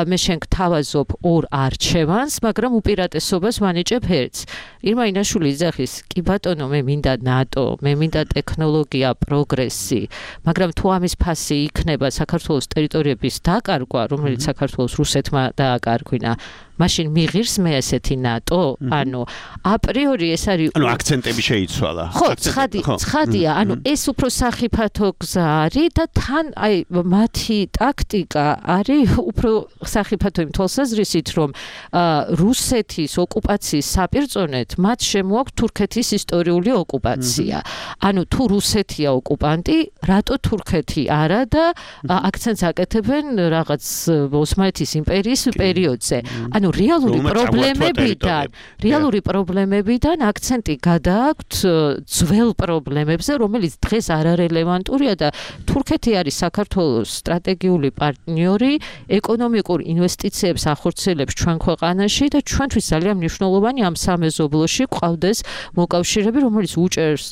მე შენ გთავაზობ ორ არჩევანს, მაგრამ უპირატესობას ვანიჭებ ერთს. ირმა ინაშვილი იძახის, კი ბატონო, მე მინდა ნატო, მე მინდა ტექნოლოგია, პროგრესი, მაგრამ თუ ამის ფასი იქნება საქართველოს ტერიტორიების დაკარგვა, რომელიც საქართველოს რუსეთმა დააკარგვინა, მაშინ მიღირს მე ესეთი ნატო? ანუ აპრიორი ეს არის, ანუ აქცენტები შეიცვალა. ხო, ცხადი, ცხადია, ანუ ეს უფრო სახიფათო გზა არის და თან აი მათი ტაქტიკა არის უფრო სახიფათო იმ თვალსაზრისით, რომ რუსეთის ოკუპაციის საპირწონეთ მათ შემოაქვთ თურქეთის ისტორიული ოკუპაცია. ანუ თუ რუსეთია ოკუპანტი, რატო თურქეთი არა და აქცენტს აკეთებენ რაღაც ოსმალეთის იმპერიის პერიოდზე. ანუ რეალური პრობლემებიდან, რეალური პრობლემებიდან აქცენტი გადააქვთ ძველ პრობლემებზე, რომელიც დღეს არარელევანტურია და თურქეთი არის საქართველოს სტრატეგიული პარტნიორი, ეკონომიკურ ინვესტიციებს ახორციელებს ჩვენ ქვეყანაში და ჩვენთვის ძალიან მნიშვნელოვანი ამ სამეზობლოში გვყავდეს მოკავშირეები, რომელიც უჭერს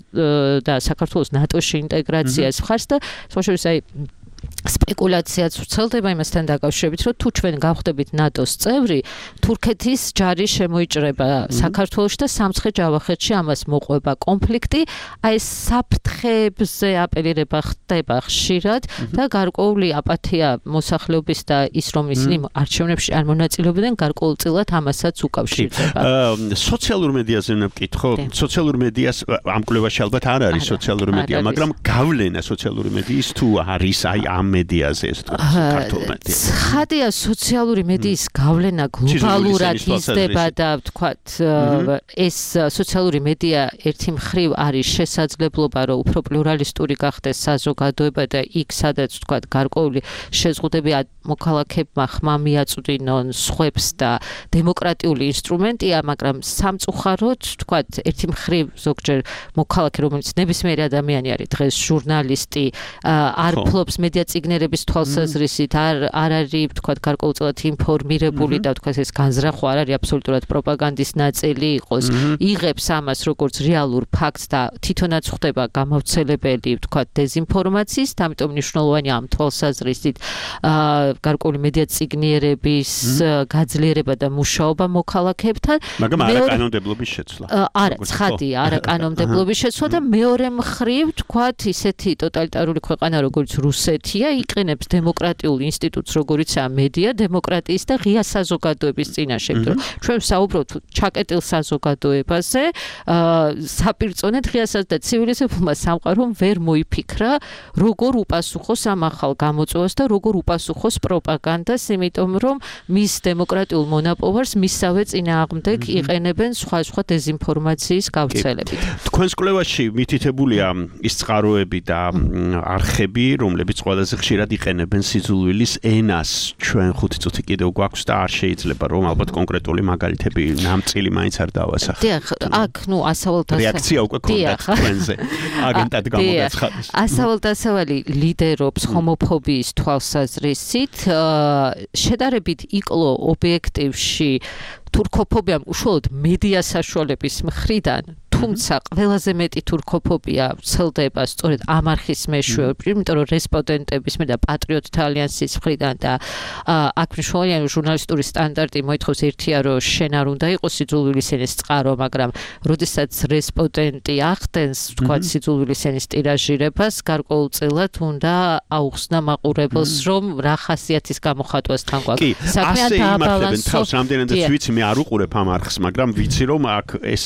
და საქართველოს ნატოში ინტეგრაციას მხარს და სხვაშორის აი სპეკულაციაც ვრცელდება იმასთან დაკავშირებით, რომ თუ ჩვენ გავხდებით ნატოს წევრი, თურქეთის ჯარი შემოიჭრება საქართველოში და სამცხე-ჯავახეთში ამას მოყვება კონფლიქტი. აი ეს საფრთხეებზე აპელირება ხდება ხშირად და გარკვეული აპათია მოსახლეობის და ის, რომ ისინი არჩევნებში არ მონაწილეობდნენ, გარკვეულწილად ამასაც უკავშირდება. სოციალურ მედიაზე უნდა ვკითხო. სოციალურ მედიას ამ კვლევაში ალბათ არ არის სოციალური მედია, მაგრამ გავლენა სოციალური მედიის თუ არის აი ამ მედიაზე ეს ქართულ მედია. ცხადია, სოციალური მედიის გავლენა გლობალურად იზრდება და ვთქვათ, ეს სოციალური მედია ერთი მხრივ არის შესაძლებლობა, რომ უფრო პლურალისტური გახდეს საზოგადოება და იქ, სადაც ვთქვათ, გარკვეული შეზღუდები მოქალაქეებმა ხმა მიაწვდინონ სხვებს და დემოკრატიული ინსტრუმენტია, მაგრამ სამწუხაროდ, ვთქვათ, ერთი მხრივ ზოგჯერ მოქალაქე, რომელიც ნებისმიერი ადამიანი არის დღეს ჟურნალისტი, არ ფლობს მედია მეციგნიერების თვალსაზრისით არ არ არის თქვათ გარკვეულწილად ინფორმირებული და თქვათ ეს განზრახვა არ არის აბსოლუტურად პროპაგანდის ნაწილი იყოს. იღებს ამას როგორც რეალურ ფაქტს და თვითონაც ხდება გამავრცელებელი თქვათ დეზინფორმაციის, ამიტომ მნიშვნელოვანია ამ თვალსაზრისით გარკვეული მედია ციგნიერების გაძლიერება და მუშაობა მოქალაქეებთან. მაგრამ არა კანონმდებლობის შეცვლა. არა, ცხადია, არა კანონმდებლობის შეცვლა და მეორე მხრივ თქვათ ისეთი ტოტალიტარული ქვეყანა როგორც რუსეთია იყენებს დემოკრატიულ ინსტიტუტს როგორიცაა მედია დემოკრატიის და ღია საზოგადოების წინაშე. ჩვენ საუბრობთ ჩაკეტილ საზოგადოებაზე, საპირწონედ ღია და ცივილიზებულმა სამყარომ ვერ მოიფიქრა როგორ უპასუხოს ამ ახალ გამოწვევას და როგორ უპასუხოს პროპაგანდას, იმიტომ რომ მის დემოკრატიულ მონაპოვარს მისსავე წინააღმდეგ იყენებენ სხვა-სხვა დეზინფორმაციის გავრცელებით. თქვენს კვლევაში მითითებულია ის წყაროები და არხები, რომლებიც ყველაზე ხშირად იყენებენ სიძულვილის ენას. ჩვენ ხუთი წუთი კიდევ გვაქვს და არ შეიძლება რომ ალბათ კონკრეტული მაგალითები ნამწილი მაინც არ დავასახო. დიახ, აქ ნუ ასავალთა რეაქცია უკვე ქონდათ თქვენზე. აგენტად გამოგაცხადეს. ასავალთასავალი ლიდერობს ჰომოფობიის თვალსაზრისით, შედარებით იკლო ობიექტივში თურქოფობიამ უშუალოდ მედია საშუალების მხრიდან, თუმცა ყველაზე მეტი თურქოფობია ვრცელდება სწორედ ამ არხის მეშვეობით, იმიტომ რომ რესპონდენტების მე და პატრიოტთა ალიანსის მხრიდან და აქ მნიშვნელოვანია ჟურნალისტური სტანდარტი მოითხოვს ერთია რომ შენ არ უნდა იყოს სიძულვილის ენის წყარო, მაგრამ როდესაც რესპონდენტი ახდენს თქვა სიძულვილის ენის ტირაჟირებას, გარკვეულწილად უნდა აუხსნა მაყურებელს რომ რა ხასიათის გამოხატვასთან გვაქვს. საქმე დააბალანსოს. რამდენადაც ვიცი მე არ უყურებ ამ არხს, მაგრამ ვიცი რომ აქ ეს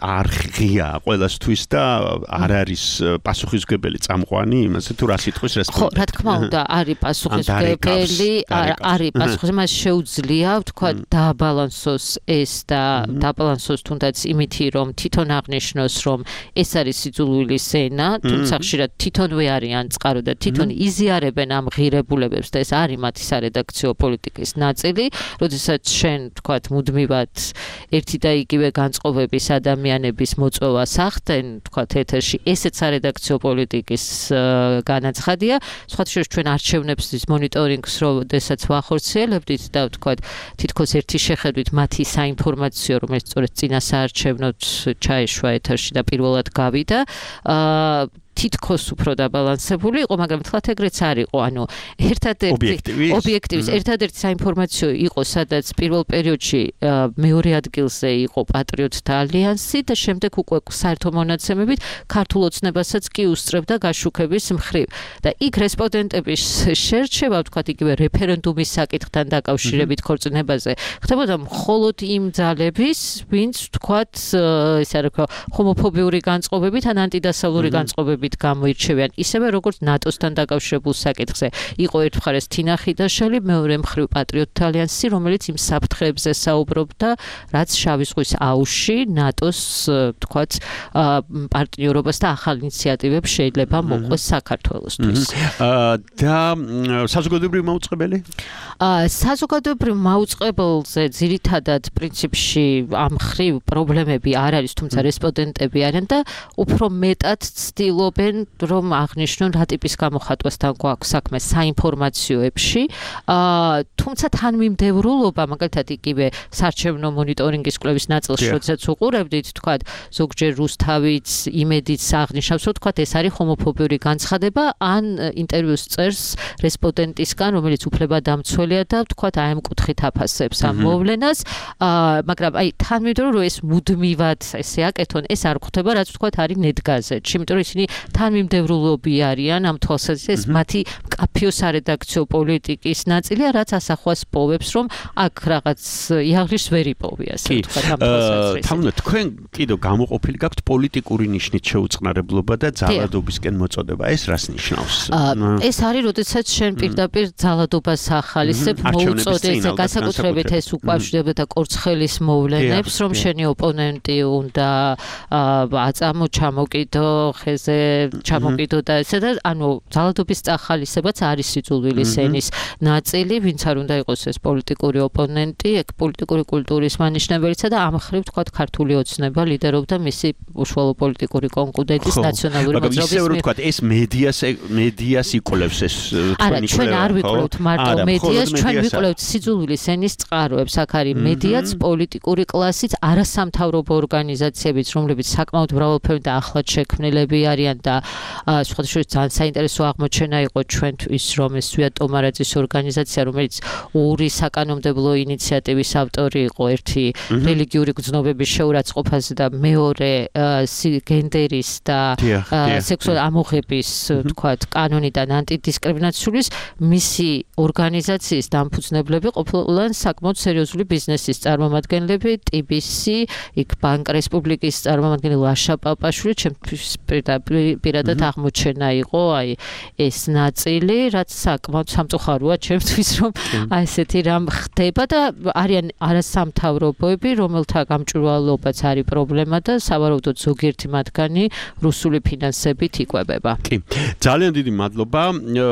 არხია ყველასთვის და არ არის პასუხისმგებელი წამყვანი იმაზე თუ რა სიტყვის რესპონდენტი. ხო, რა თქმა უნდა, არის პასუხისმგებელი, არის პასუხისმგებელი, მას შეუძლია თქვა დააბალანსოს ეს და დააბალანსოს თუნდაც იმითი რომ თვითონ აღნიშნოს რომ ეს არის სიძულვილის ენა, თუმცა ხშირად თვითონვე არიან წყარო და თვითონ იზიარებენ ამ ღირებულებებს და ეს არის მათი სარედაქციო პოლიტიკის ნაწილი, როდესაც შენ თქვა მუდმივად ერთი და იგივე განწყობების ადამიანების მოწვევას ახდენ, თქვა ეთერში, ესეც სარედაქციო პოლიტიკის განაცხადია. სხვათა შორის ჩვენ არჩევნებს მონიტორინგს როდესაც ვახორციელებდით და თქვა თითქოს ერთი შეხედვით მათი საინფორმაციო, რომელიც სწორედ წინა საარჩევნოდ ჩაეშვა ეთერში და პირველად გავიდა, თითქოს უფრო დაბალანსებული იყო, მაგრამ თლათ ეგრეც არ იყო, ანუ ერთადერთი ობიექტივის ერთადერთი საინფორმაციო იყო, სადაც პირველ პერიოდში მეორე ადგილზე იყო პატრიოტთა ალიანსი და შემდეგ უკვე საერთო მონაცემებით ქართულ ოცნებასაც კი უსწრებდა გაშუქების მხრივ. და იქ რესპონდენტების შერჩევა, ვთქვათ, იგივე რეფერენდუმის საკითხთან დაკავშირებით ქორწინებაზე, ხდებოდა მხოლოდ იმ ძალების, ვინც ვთქვათ, ესე რა ვქო, ჰომოფობიური განწყობებით ან ანტიდასავლური განწყობებით გამოირჩევიან, ისევე როგორც ნატოსთან დაკავშირებულ საკითხზე. იყო ერთ მხარეს თინა ხიდაშელი, მეორე მხრივ პატრიოტთა ალიანსი, რომელიც იმ საფრთხეებზე საუბრობდა, რაც შავი ზღვის აუზში ნატოს, თქვათ, პარტნიორობას და ახალ ინიციატივებს შეიძლება მოყვეს საქართველოსთვის. და საზოგადოებრივი მაუწყებელი? საზოგადოებრივ მაუწყებელზე ძირითადად პრინციპში ამ მხრივ პრობლემები არ არის, თუმცა რესპონდენტები არიან და უფრო მეტად ცდილობენ რომ აღნიშნონ რა ტიპის გამოხატვასთან გვაქვს საქმე საინფორმაციოებში. თუმცა თანმიმდევრულობა, მაგალითად იგივე საარჩევნო მონიტორინგის კვლევის ნაწილში, როდესაც უყურებდით, თქვათ, ზოგჯერ რუსთავიც, იმედიც აღნიშნავს, რომ თქვათ, ეს არის ჰომოფობიური განცხადება, ან ინტერვიუს წერს რესპონდენტისგან, რომელიც უფლებადამცველია და თქვათ, აი ამ კუთხით აფასებს ამ მოვლენას, მაგრამ აი თანმიმდევრო რომ ეს მუდმივად ესე აკეთონ, ეს არ ხდება, რაც თქვათ, არის ნეტგაზეთში, იმიტომ რომ ისინი თანმიმდევრულობი არიან ამ თვალსაზრისით, ეს მათი მკაფიო სარედაქციო პოლიტიკის ნაწილია, რაც ასახვას პოვებს, რომ აქ რაღაც იაღრიშს ვერ იპოვია, ასე ვთქვათ, ამ თვალსაზრისით. თამნა, თქვენ კიდევ გამოყოფილი გაქვთ პოლიტიკური ნიშნით შეუწყნარებლობა და ძალადობისკენ მოწოდება. ეს რას ნიშნავს? ეს არის, როდესაც შენ პირდაპირ ძალადობას ახალისებ, მოუწოდეთ, განსაკუთრებით ეს უკავშირდება და კორცხელის მოვლენებს, რომ შენი ოპონენტი უნდა აწამო, ჩამოკიდო, ხეზე ჩამოკიდო და ესა და ანუ ძალადობის წახალისებაც არის სიძულვილის ენის ნაწილი, ვინც არ უნდა იყოს ეს პოლიტიკური ოპონენტი, ეგ პოლიტიკური კულტურის მანიშნებელია და ამ ხრივ თქვა ქართული ოცნება ლიდერობდა მისი უშუალო პოლიტიკური კონკურენტის ნაციონალური მოძრაობის. მაგრამ ისე რომ თქვა ეს მედიას მედიას იკვლევს ეს თქვენი კვლევა. არა, ჩვენ არ ვიკვლევთ მარტო მედიას, ჩვენ ვიკვლევთ სიძულვილის ენის წყაროებს. აქ არის მედიაც, პოლიტიკური კლასიც, არასამთავრობო ორგანიზაციებიც, რომლებიც საკმაოდ მრავალფეროვანი და ახლად შექმნილები არიან და სხვადასხვა ძალიან საინტერესო აღმოჩენა იყო ჩვენთვის, რომ ეს ვია ტომარაძის ორგანიზაცია, რომელიც ორი საკანონმდებლო ინიციატივის ავტორი იყო, ერთი რელიგიური გრძნობების შეურაცხყოფაზე და მეორე გენდერის და სექსუალური ამოღების, თქვათ, კანონიდან ანტიდისკრიმინაციის, მისი ორგანიზაციის დამფუძნებლები ყოფილან საკმაოდ სერიოზული ბიზნესის წარმომადგენლები, ტი ბი სი, იქ ბანკ რესპუბლიკის წარმომადგენელი ლაშა პაპაშვილი, ჩემთვის პირადად აღმოჩენა იყო, აი ეს ნაწილი, რაც საკმაოდ სამწუხაროა ჩემთვის, რომ აი ესეთი რამ ხდება და არიან არასამთავრობოები, რომელთა გამჭვირვალობაც არის პრობლემა და სავარაუდოდ ზოგიერთი მათგანი რუსული ფინანსებით იკვებება. კი. ძალიან დიდი მადლობა.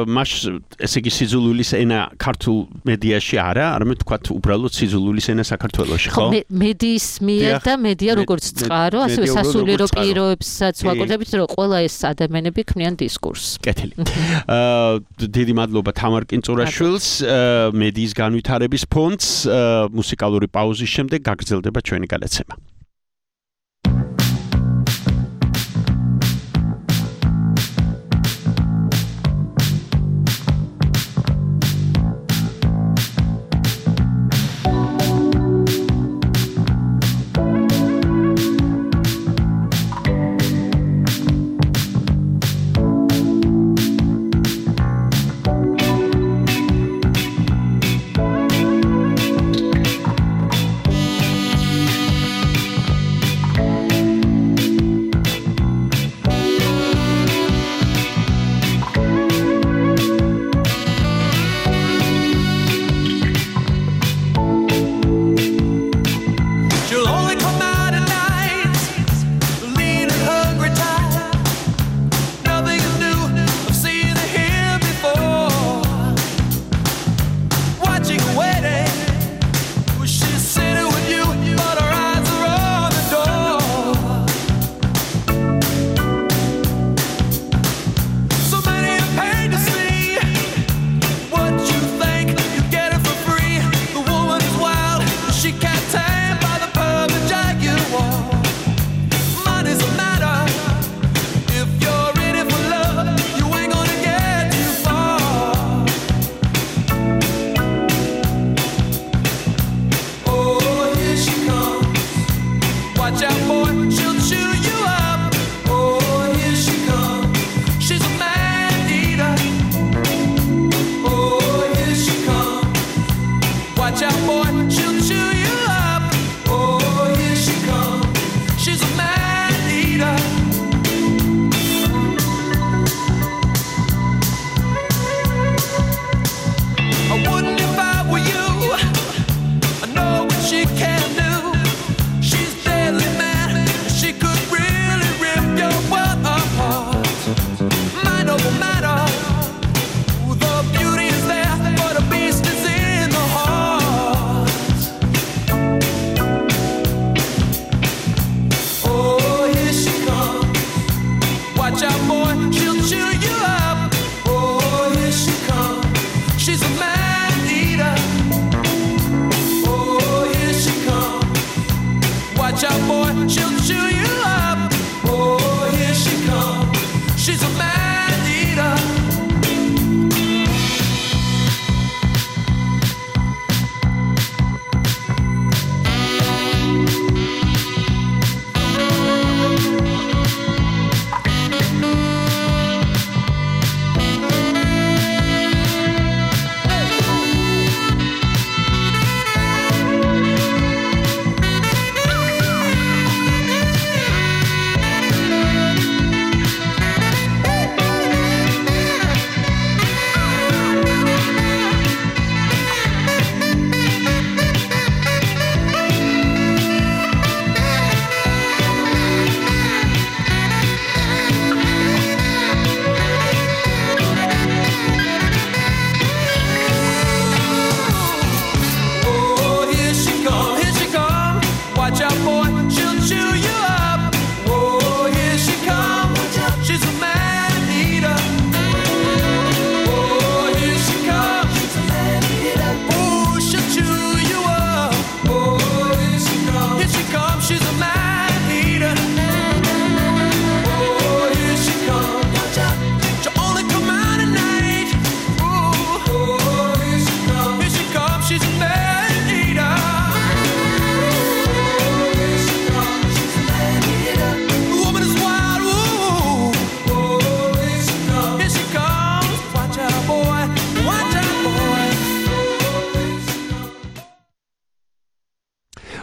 მას ესე იგი სიძულვილის ენა ქართულ მედიაში არა, არამედ თქვათ უბრალოდ სიძულვილის ენა საქართველოში, ხო? მედიის მიერ და მედია როგორც წყარო, ასევე სასულიერო პირობებსაც ვაკუთვნებით, რომ ყველა ეს ადამიანები ქმნიან დისკურსს. კეთილი. აა დიდი მადლობა თამარ კინწურაშვილს, მედიის განვითარების ფონდს. მუსიკალური პაუზის შემდეგ გაგრძელდება ჩვენი გადაცემა.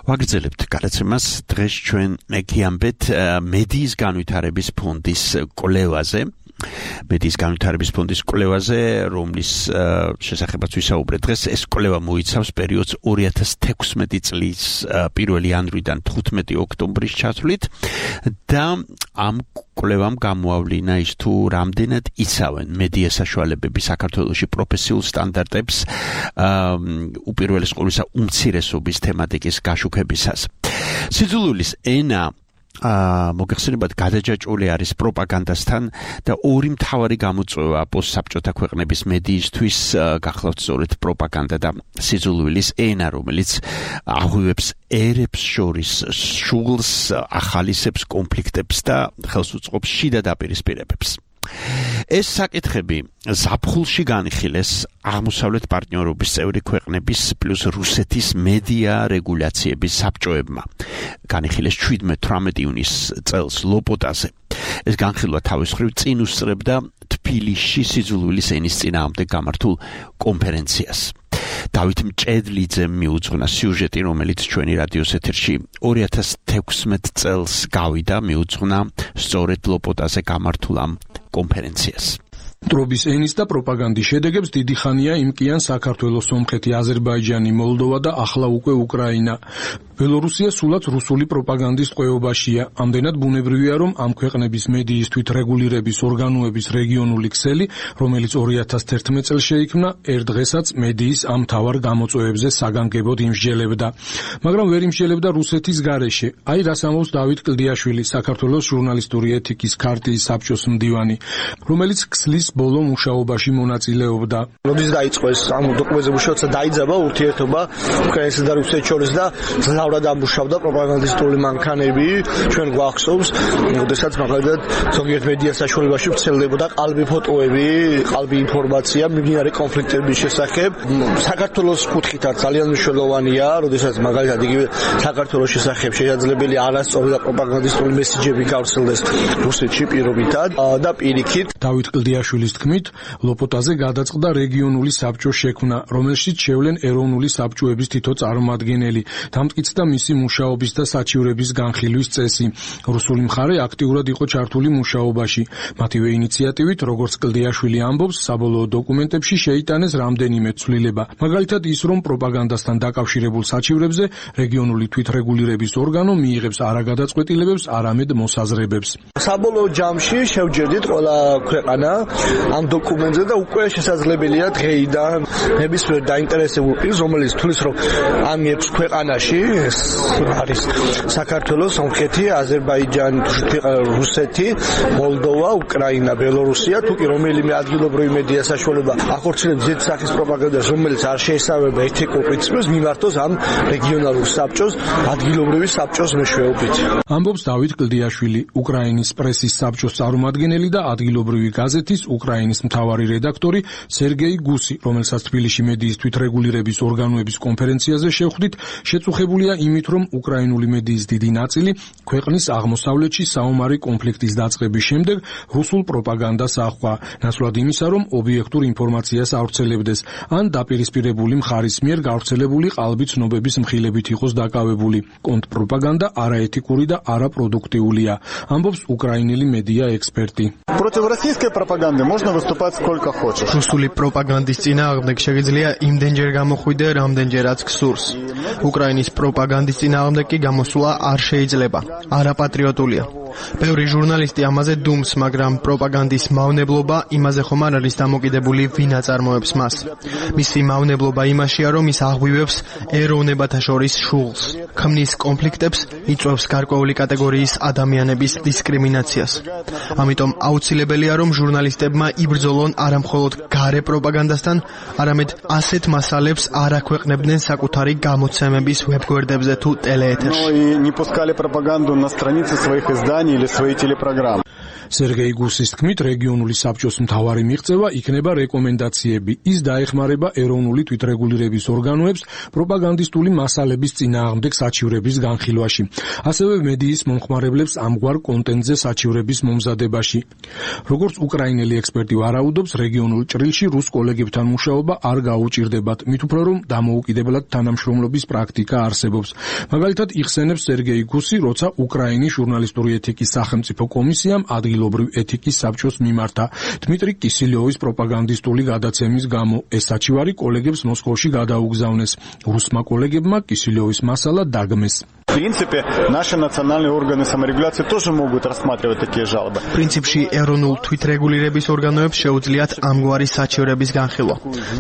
ვაგრძელებთ გადაცემას დღეს ჩვენ მეკიამბეთ მედიის განვითარების ფონდის კვლევაზე. მედიის განვითარების ფონდის კვლევაზე, რომლის შესახებაც ვისაუბრეთ დღეს, ეს კვლევა მოიცავს პერიოდს ორი ათას თექვსმეტი წლის პირველი იანვრიდან თხუთმეტი ოქტომბრის ჩათვლით და ამ კვლევამ გამოავლინა ის თუ რამდენად იცავენ მედია საშუალებები საქართველოში პროფესიულ სტანდარტებს უპირველეს ყოვლისა უმცირესობის თემატიკის გაშუქებისას. სიძულვილის ენა მოგეხსენებათ გადაჯაჭვული არის პროპაგანდასთან და ორი მთავარი გამოწვევა პოსტსაბჭოთა ქვეყნების მედიისთვის გახლავთ სწორედ პროპაგანდა და სიძულვილის ენა, რომელიც აღვივებს ერებს შორის შუღლს, ახალისებს კონფლიქტებს და ხელს უწყობს შიდა დაპირისპირებებს. ეს საკითხები ზაფხულში განიხილეს აღმოსავლეთ პარტნიორობის წევრი ქვეყნების პლუს რუსეთის მედია რეგულაციების საბჭოებმა. განიხილეს შვიდმეტ თვრამეტი ივნის წელს ლოპოტაზე. ეს განხილვა თავის მხრივ წინ უსწრებდა თბილისში სიძულვილის ენის წინააღმდეგ გამართულ კონფერენციას. დავით მჭედლიძემ მიუძღვნა სიუჟეტი, რომელიც ჩვენი რადიოს ეთერში ორი ათას თექვსმეტ წელს გავიდა, მიუძღვნა სწორედ ლოპოტაზე გამართულ ამ კონფერენციას. ტრობის ენის და პროპაგანდის შედეგებს დიდი ხანია იმკიან საქართველოს, სომხეთი, აზერბაიჯანი, მოლდოვა და ახლა უკვე უკრაინა. ბელორუსია სულაც რუსული პროპაგანდის ტყვეობაშია. ამდენად ბუნებრივია, რომ ამ ქვეყნების მედიის თვითრეგულირების ორგანოების რეგიონული ქსელი, რომელიც ორი ათას თერთმეტ წელს შეიქმნა, ერთ დღესაც მედიის ამ მთავარ გამოწვევებზე საგანგებოდ იმსჯელებდა. მაგრამ ვერ იმსჯელებდა რუსეთის გარეშე. აი რას ამბობს დავით კლდიაშვილი, საქართველოს ჟურნალისტური ეთიკის ქარტიის საბჭოს მდივანი, რომელიც ქსლის ბოლო მუშაობაში მონაწილეობდა. როდის დაიწყო ეს ამ დოკუმენტზე მუშაობა, დაიძაბა ურთიერთობა უკრაინასა და რუსეთს შორის და ძლავრად ამუშავდა პროპაგანდისტული მანქანები. ჩვენ გვახსოვს, როდესაც მაგალითად ზოგიერთ მედია საშუალებაში ვრცელდებოდა ყალბი ფოტოები, ყალბი ინფორმაცია მიმდინარე კონფლიქტების შესახებ. საქართველოს კუთხითაც ძალიან მნიშვნელოვანია, როდესაც მაგალითად იგივე საქართველოს შესახებ შესაძლებელი არასწორი და პროპაგანდისტული მესიჯები გავრცელდეს რუსეთში პირობითად და პირიქით. დავით კლდიაშვილის თქმით, ლოპოტაზე გადაწყდა რეგიონული საბჭოს შექმნა, რომელშიც შევლენ ეროვნული საბჭოების თითო წარმომადგენელი. დამტკიცდა მისი მუშაობის და საჩივრების განხილვის წესი. რუსული მხარე აქტიურად იყო ჩართული მუშაობაში. მათივე ინიციატივით, როგორც კლდიაშვილი ამბობს, საბოლოო დოკუმენტებში შეიტანეს რამდენიმე ცვლილება. მაგალითად ის, რომ პროპაგანდასთან დაკავშირებულ საჩივრებზე რეგიონული თვითრეგულირების ორგანო მიიღებს არა გადაწყვეტილებებს, არამედ მოსაზრებებს. საბოლოო ჯამში შევჯერდით ყველა ქვეყანა ამ დოკუმენტზე და უკვე შესაძლებელია დღეიდან ნებისმიერ დაინტერესებულ პირს, რომელიც თulis რომ ამ ექვს ქვეყანაში არის საქართველოს, სომხეთი, აზერბაიჯანი, რუსეთი, მოლდოვა, უკრაინა, ბელორუსია, თუ კი რომელიმე ადგილობრივი მედია საშუალება ახორციელებს ზედა სახის პროპაგანდას, რომელიც არ შეესაბამება ეთიკურ პრინციპებს, მიმართოს ამ რეგიონალურ საბჭოს, ადგილობრივი საბჭოს მეშვეობით. ამბობს დავით კლდიაშვილი, უკრაინის პრესის საბჭოს წარმომადგენელი და ადგილობრივი გაზეთის უკრაინის მთავარი რედაქტორი სერგეი გუსი, რომელსაც თბილისში მედიის თვითრეგულირების ორგანოების კონფერენციაზე შევხვდით, შეწუხებულია იმით, რომ უკრაინული მედიის დიდი ნაწილი ქვეყნის აღმოსავლეთში საომარი კონფლიქტის დაწყების შემდეგ რუსულ პროპაგანდას აჰყვა, ნაცვლად იმისა, რომ ობიექტურ ინფორმაციას ავრცელებდეს, ან დაპირისპირებული მხარის მიერ გავრცელებული ყალბი ცნობების მხილებით იყოს დაკავებული. კონტრპროპაგანდა არაეთიკური და არაპროდუქტიულია, ამბობს უკრაინელი მედია ექსპერტი. Против российской пропаганды можно выступать сколько хочешь. რუსული პროპაგანდის წინააღმდეგ შეგიძლია იმდენჯერ გამოხვიდე, რამდენჯერაც გსურს. უკრაინის პროპაგანდის წინააღმდეგ კი გამოსვლა არ შეიძლება. არაპატრიოტულია. ბევრი ჟურნალისტი ამაზე დუმს, მაგრამ პროპაგანდის მავნებლობა იმაზე ხომ არ არის დამოკიდებული, ვინ აწარმოებს მას. მისი მავნებლობა იმაშია, რომ ის აღვივებს ეროვნებათა შორის შუღლს, ქმნის კონფლიქტებს, იწვევს გარკვეული კატეგორიის ადამიანების დისკრიმინაციას. ამიტომ აუცილებელია, რომ ჟურნალისტებმა იბრძოლონ არა მხოლოდ გარე პროპაგანდასთან, არამედ ასეთ მასალებს არ აქვეყნებდნენ საკუთარი გამოცემების ვებგვერდებზე თუ ტელეეთერში. Ну и не пускали пропаганду на страницы своих изданий или свои телепрограммы. სერგეი გუსის თქმით, რეგიონული საბჭოს მთავარი მიღწევა იქნება რეკომენდაციები. ის დაეხმარება ეროვნული თვითრეგულირების ორგანოებს პროპაგანდისტული მასალების წინააღმდეგ საჩივრების განხილვაში. ასევე მედიის მომხმარებლებს ამგვარ კონტენტზე საჩივრების მომზადებაში. როგორც უკრაინელი ექსპერტი ვარაუდობს, რეგიონულ ჭრილში რუს კოლეგებთან მუშაობა არ გაუჭირდებათ, მით უფრო რომ დამოუკიდებლად თანამშრომლობის პრაქტიკა არსებობს. მაგალითად, იხსენებს სერგეი გუსი, როცა უკრაინის ჟურნალისტური ეთიკის სახელმწიფო კომისიამ ადგილობრივ ეთიკის საბჭოს მიმართა დმიტრი კისილიოვის პროპაგანდისტული გადაცემის გამო. ეს საჩივარი კოლეგებს მოსკოვში გადაუგზავნეს. რუსმა კოლეგებმა კისილიოვის მასალა დაგმეს. В принципе, наши национальные органы саморегуляции тоже могут рассматривать такие жалобы. პრინციპში ეროვნულ თვითრეგულირების ორგანოებს შეუძლიათ ამგვარი საჩივრების განხილვა.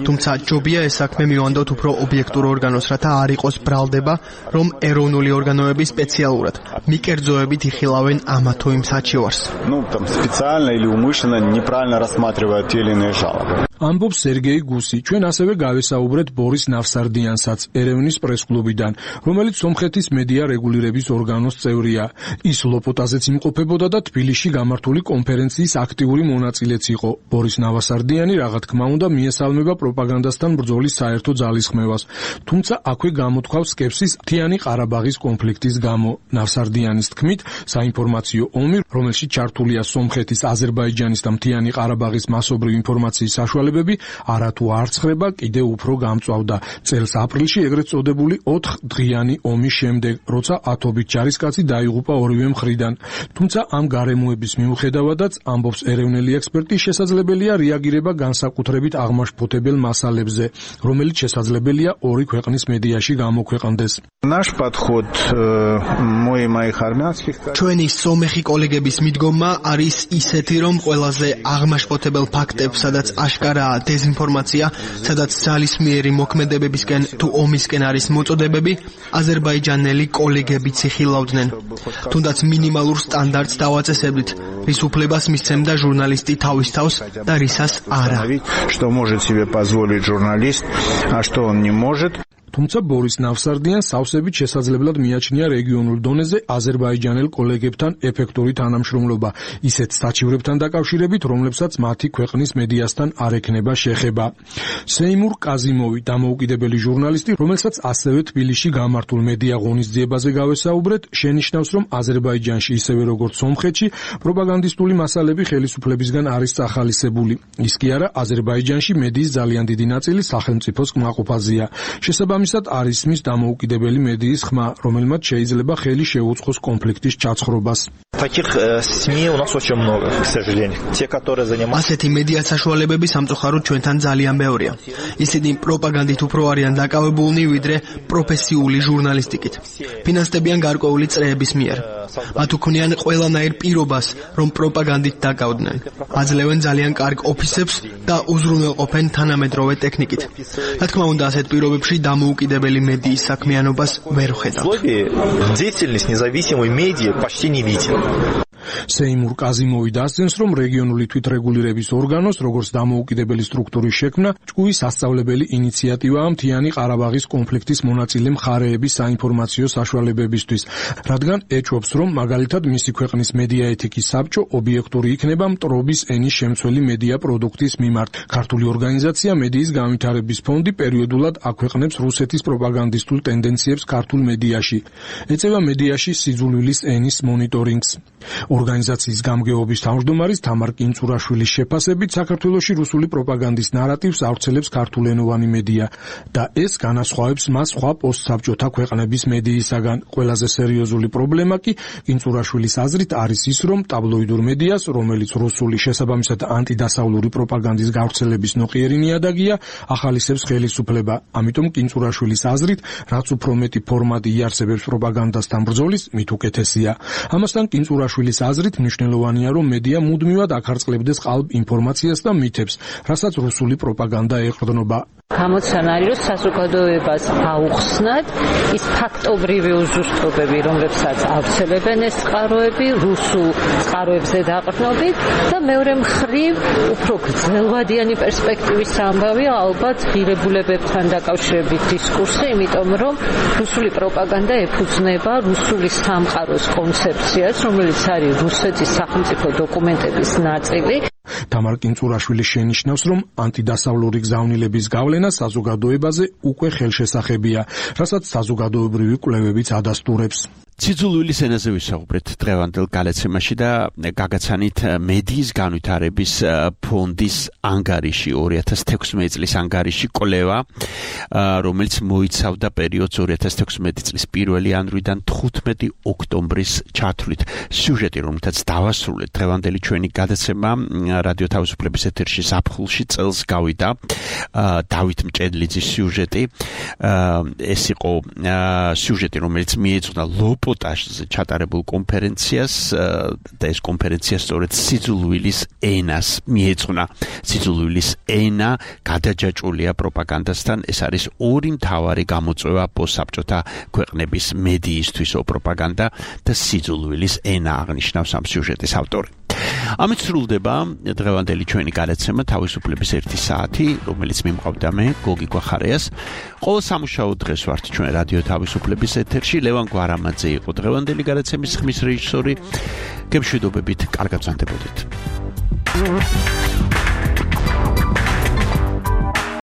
თუმცა ჯობია ეს საქმე მივანდოთ უფრო ობიექტურ ორგანოს, რათა არ იყოს ბრალდება, რომ ეროვნული ორგანოები სპეციალურად მიკერძოებით იხილავენ ამა თუ იმ საჩივარს. Ну, там специально или умышленно неправильно рассматривают те или иные жалобы. ამბობს სერგეი გუსი. ჩვენ ასევე გავესაუბრეთ ბორის ნავსარდიანსაც ერევნის პრესკლუბიდან, რომელიც სომხეთის მედია რეგულირების ორგანოს წევრია. ის ლოპოტაზეც იმყოფებოდა და თბილისში გამართული კონფერენციის აქტიური მონაწილეც იყო. ბორის ნავსარდიანი, რა თქმა უნდა, მიესალმება პროპაგანდასთან ბრძოლის საერთო ძალისხმევას. თუმცა აქვე გამოთქვავს სკეპსის მთიანი ყარაბაღის კონფლიქტის გამო. ნავსარდიანის თქმით, საინფორმაციო ომი, რომელშიც ჩართულია სომხეთის, აზერბაიჯანის და მთიანი ყარაბაღის მასობრივი ინფორმაციის საშუალებები, არათუ არ ცხრება, კიდევ უფრო გამწვავდა. წელს აპრილში ეგრეთ წოდებული ოთხ დღიანი ომის შემდეგ, როცა ათობით ჯარისკაცი დაიღუპა ორივე მხრიდან. თუმცა ამ გარემოების მიუხედავადაც, ამბობს ეროვნული ექსპერტი, შესაძლებელია რეაგირება განსაკუთრებით აღმაშფოთებელ მასალებზე, რომელიც შესაძლებელია ორი ქვეყნის მედიაში გამოქვეყნდეს. Наш подход мой и моих армянских ჩვენი სომეხი კოლეგების მიდგომა არის ისეთი, რომ ყველაზე აღმაშფოთებელ ფაქტებს, სადაც აშკარაა დეზინფორმაცია, სადაც ძალისმიერი მოქმედებებისკენ თუ ომისკენ არის მოწოდებები, აზერბაიჯანელი კოლეგებიც იხილავდნენ. თუნდაც მინიმალურ სტანდარტს დავაწესებდით, რის უფლებას მისცემდა ჟურნალისტი თავის თავს და რისას არა. Что может себе позволить журналист, а что он не может. თუმცა ბორის ნავსარდიანს სავსებით შესაძლებლად მიაჩნია რეგიონულ დონეზე აზერბაიჯანელ კოლეგებთან ეფექტური თანამშრომლობა, ისეთ საჩივრებთან დაკავშირებით, რომლებსაც მათი ქვეყნის მედიასთან არ ექნება შეხება. სეიმურ კაზიმოვი, დამოუკიდებელი ჟურნალისტი, რომელსაც ასევე თბილისში გამართულ მედია ღონისძიებაზე გავესაუბრეთ, შენიშნავს, რომ აზერბაიჯანში, ისევე როგორც სომხეთში, პროპაგანდისტული მასალები ხელისუფლებისგან არის წახალისებული. ის კი არა, აზერბაიჯანში მედიის ძალიან დიდი ნაწილი სახელმწიფოს კმაყოფაზეა. შესაბამისად, არის მის დამოუკიდებელი მედიის ხმა, რომელმაც შეიძლება ხელი შეუწყოს კონფლიქტის ჩაცხრობას. Таких СМИ у нас очень много, к сожалению. Те, которые занимаются ასეთი მედია საშუალებები სამწუხაროდ ჩვენთან ძალიან ბევრია. ისინი პროპაგანდით უფრო არიან დაკავებულნი, ვიდრე პროფესიული ჟურნალისტიკით. ფინანსდებიან გარკვეული წრეების მიერ. მათ უქმნიან ყველანაირ პირობას, რომ პროპაგანდით დაკავდნენ. აძლევენ ძალიან კარგ ოფისებს და უზრუნველყოფენ თანამედროვე ტექნიკით. რა თქმა უნდა, ასეთ პირობებში დამოუკიდებელი მედიის საქმიანობას ვერ ვხედავთ. деятельность независимой медиа почти не виден. სეიმურ კაზიმოვი დასძენს, რომ რეგიონული თვითრეგულირების ორგანოს, როგორც დამოუკიდებელი სტრუქტურის შექმნა, ჭკუის სასწავლებელი ინიციატივაა მთიანი ყარაბაღის კონფლიქტის მონაწილე მხარეების საინფორმაციო საშუალებებისთვის, რადგან ეჭვობს, რომ მაგალითად მისი ქვეყნის მედია ეთიკის საბჭო ობიექტური იქნება მტრობის ენის შემცველი მედია პროდუქტის მიმართ. ქართული ორგანიზაცია მედიის განვითარების ფონდი პერიოდულად აქვეყნებს რუსეთის პროპაგანდისტულ ტენდენციებს ქართულ მედიაში. ეწევა მედიაში სიძულვილის ენის მონიტორინგს. ორგანიზაციის გამგეობის თავმჯდომარის თამარ კინწურაშვილის შეფასებით, საქართველოში რუსული პროპაგანდის ნარატივს ავრცელებს ქართულენოვანი მედია და ეს განასხვავებს მას სხვა პოსტსაბჭოთა ქვეყნების მედიისაგან. ყველაზე სერიოზული პრობლემა კი კინწურაშვილის აზრით არის ის, რომ ტაბლოიდურ მედიას, რომელიც რუსული შესაბამისად ანტიდასავლური პროპაგანდის გავრცელების ნოყიერი ნიადაგია, ახალისებს ხელისუფლება. ამიტომ კინწურაშვილის აზრით, რაც უფრო მეტი ფორმატი იარსებებს პროპაგანდასთან ბრძოლის, მით უკეთესია. ამასთან კინწურაშვილის აზრით მნიშვნელოვანია, რომ მედია მუდმივად აქარწყლებდეს ყალბ ინფორმაციას და მითებს, რასაც რუსული პროპაგანდა ეყრდნობა. გამოცანარი, რომ საზოგადოებას აუხსნათ ის ფაქტობრივი უზუსტობები, რომლებსაც ავრცელებენ ეს წყაროები რუსულ წყაროებზე დაყრდნობით და მეორე მხრივ უფრო გრძელვადიანი პერსპექტივის ამბავია ალბათ ღირებულებებთან დაკავშირებით დისკურსი, იმიტომ რომ რუსული პროპაგანდა ეფუძნება რუსული სამყაროს კონცეფციას, რომელიც არის რუსეთის სახელმწიფო დოკუმენტების ნაწილი. თამარ კინწურაშვილი შენიშნავს, რომ ანტიდასავლური გზავნილების გავლენა საზოგადოებაზე უკვე ხელშესახებია, რასაც საზოგადოებრივი კვლევებიც ადასტურებს. ციცულვილის ენაზე ვისაუბრეთ დღევანდელ გალაცემაში და გაგაცანით მედიის განვითარების ფონდის ანგარიში ორი ათას თექვსმეტი წლის ანგარიში კვლევა, რომელიც მოიცავდა პერიოდს ორი ათას თექვსმეტი წლის პირველი იანვრიდან თხუთმეტი ოქტომბრის ჩათვლით. სიუჟეტი, რომელთაც დავასრულეთ დღევანდელი ჩვენი გადაცემა რადიო თავისუფლების ეთერში ზაფხულში წელს გავიდა, დავით მჭედლიძის სიუჟეტი. ეს იყო სიუჟეტი, რომელიც მიეძღვნა ლოპ პოტაშზე ჩატარებულ კონფერენციას და ეს კონფერენცია სწორედ სიძულვილის ენას მიეძღვნა. სიძულვილის ენა გადაჯაჭვულია პროპაგანდასთან. ეს არის ორი მთავარი გამოწვევა პოსტსაბჭოთა ქვეყნების მედიისთვისო პროპაგანდა და სიძულვილის ენა, აღნიშნავს ამ სიუჟეტის ავტორი. ამით სრულდება დღევანდელი ჩვენი გადაცემა თავისუფლების ერთი საათი, რომელიც მიმყავდა მე, გოგი გვახარიას. ყოველ სამუშაო დღეს ვართ ჩვენ რადიო თავისუფლების ეთერში. ლევან გვარამაძე იყო დღევანდელი გადაცემის ხმის რეჟისორი. გემშვიდობებით, კარგად ვზანდებოდეთ.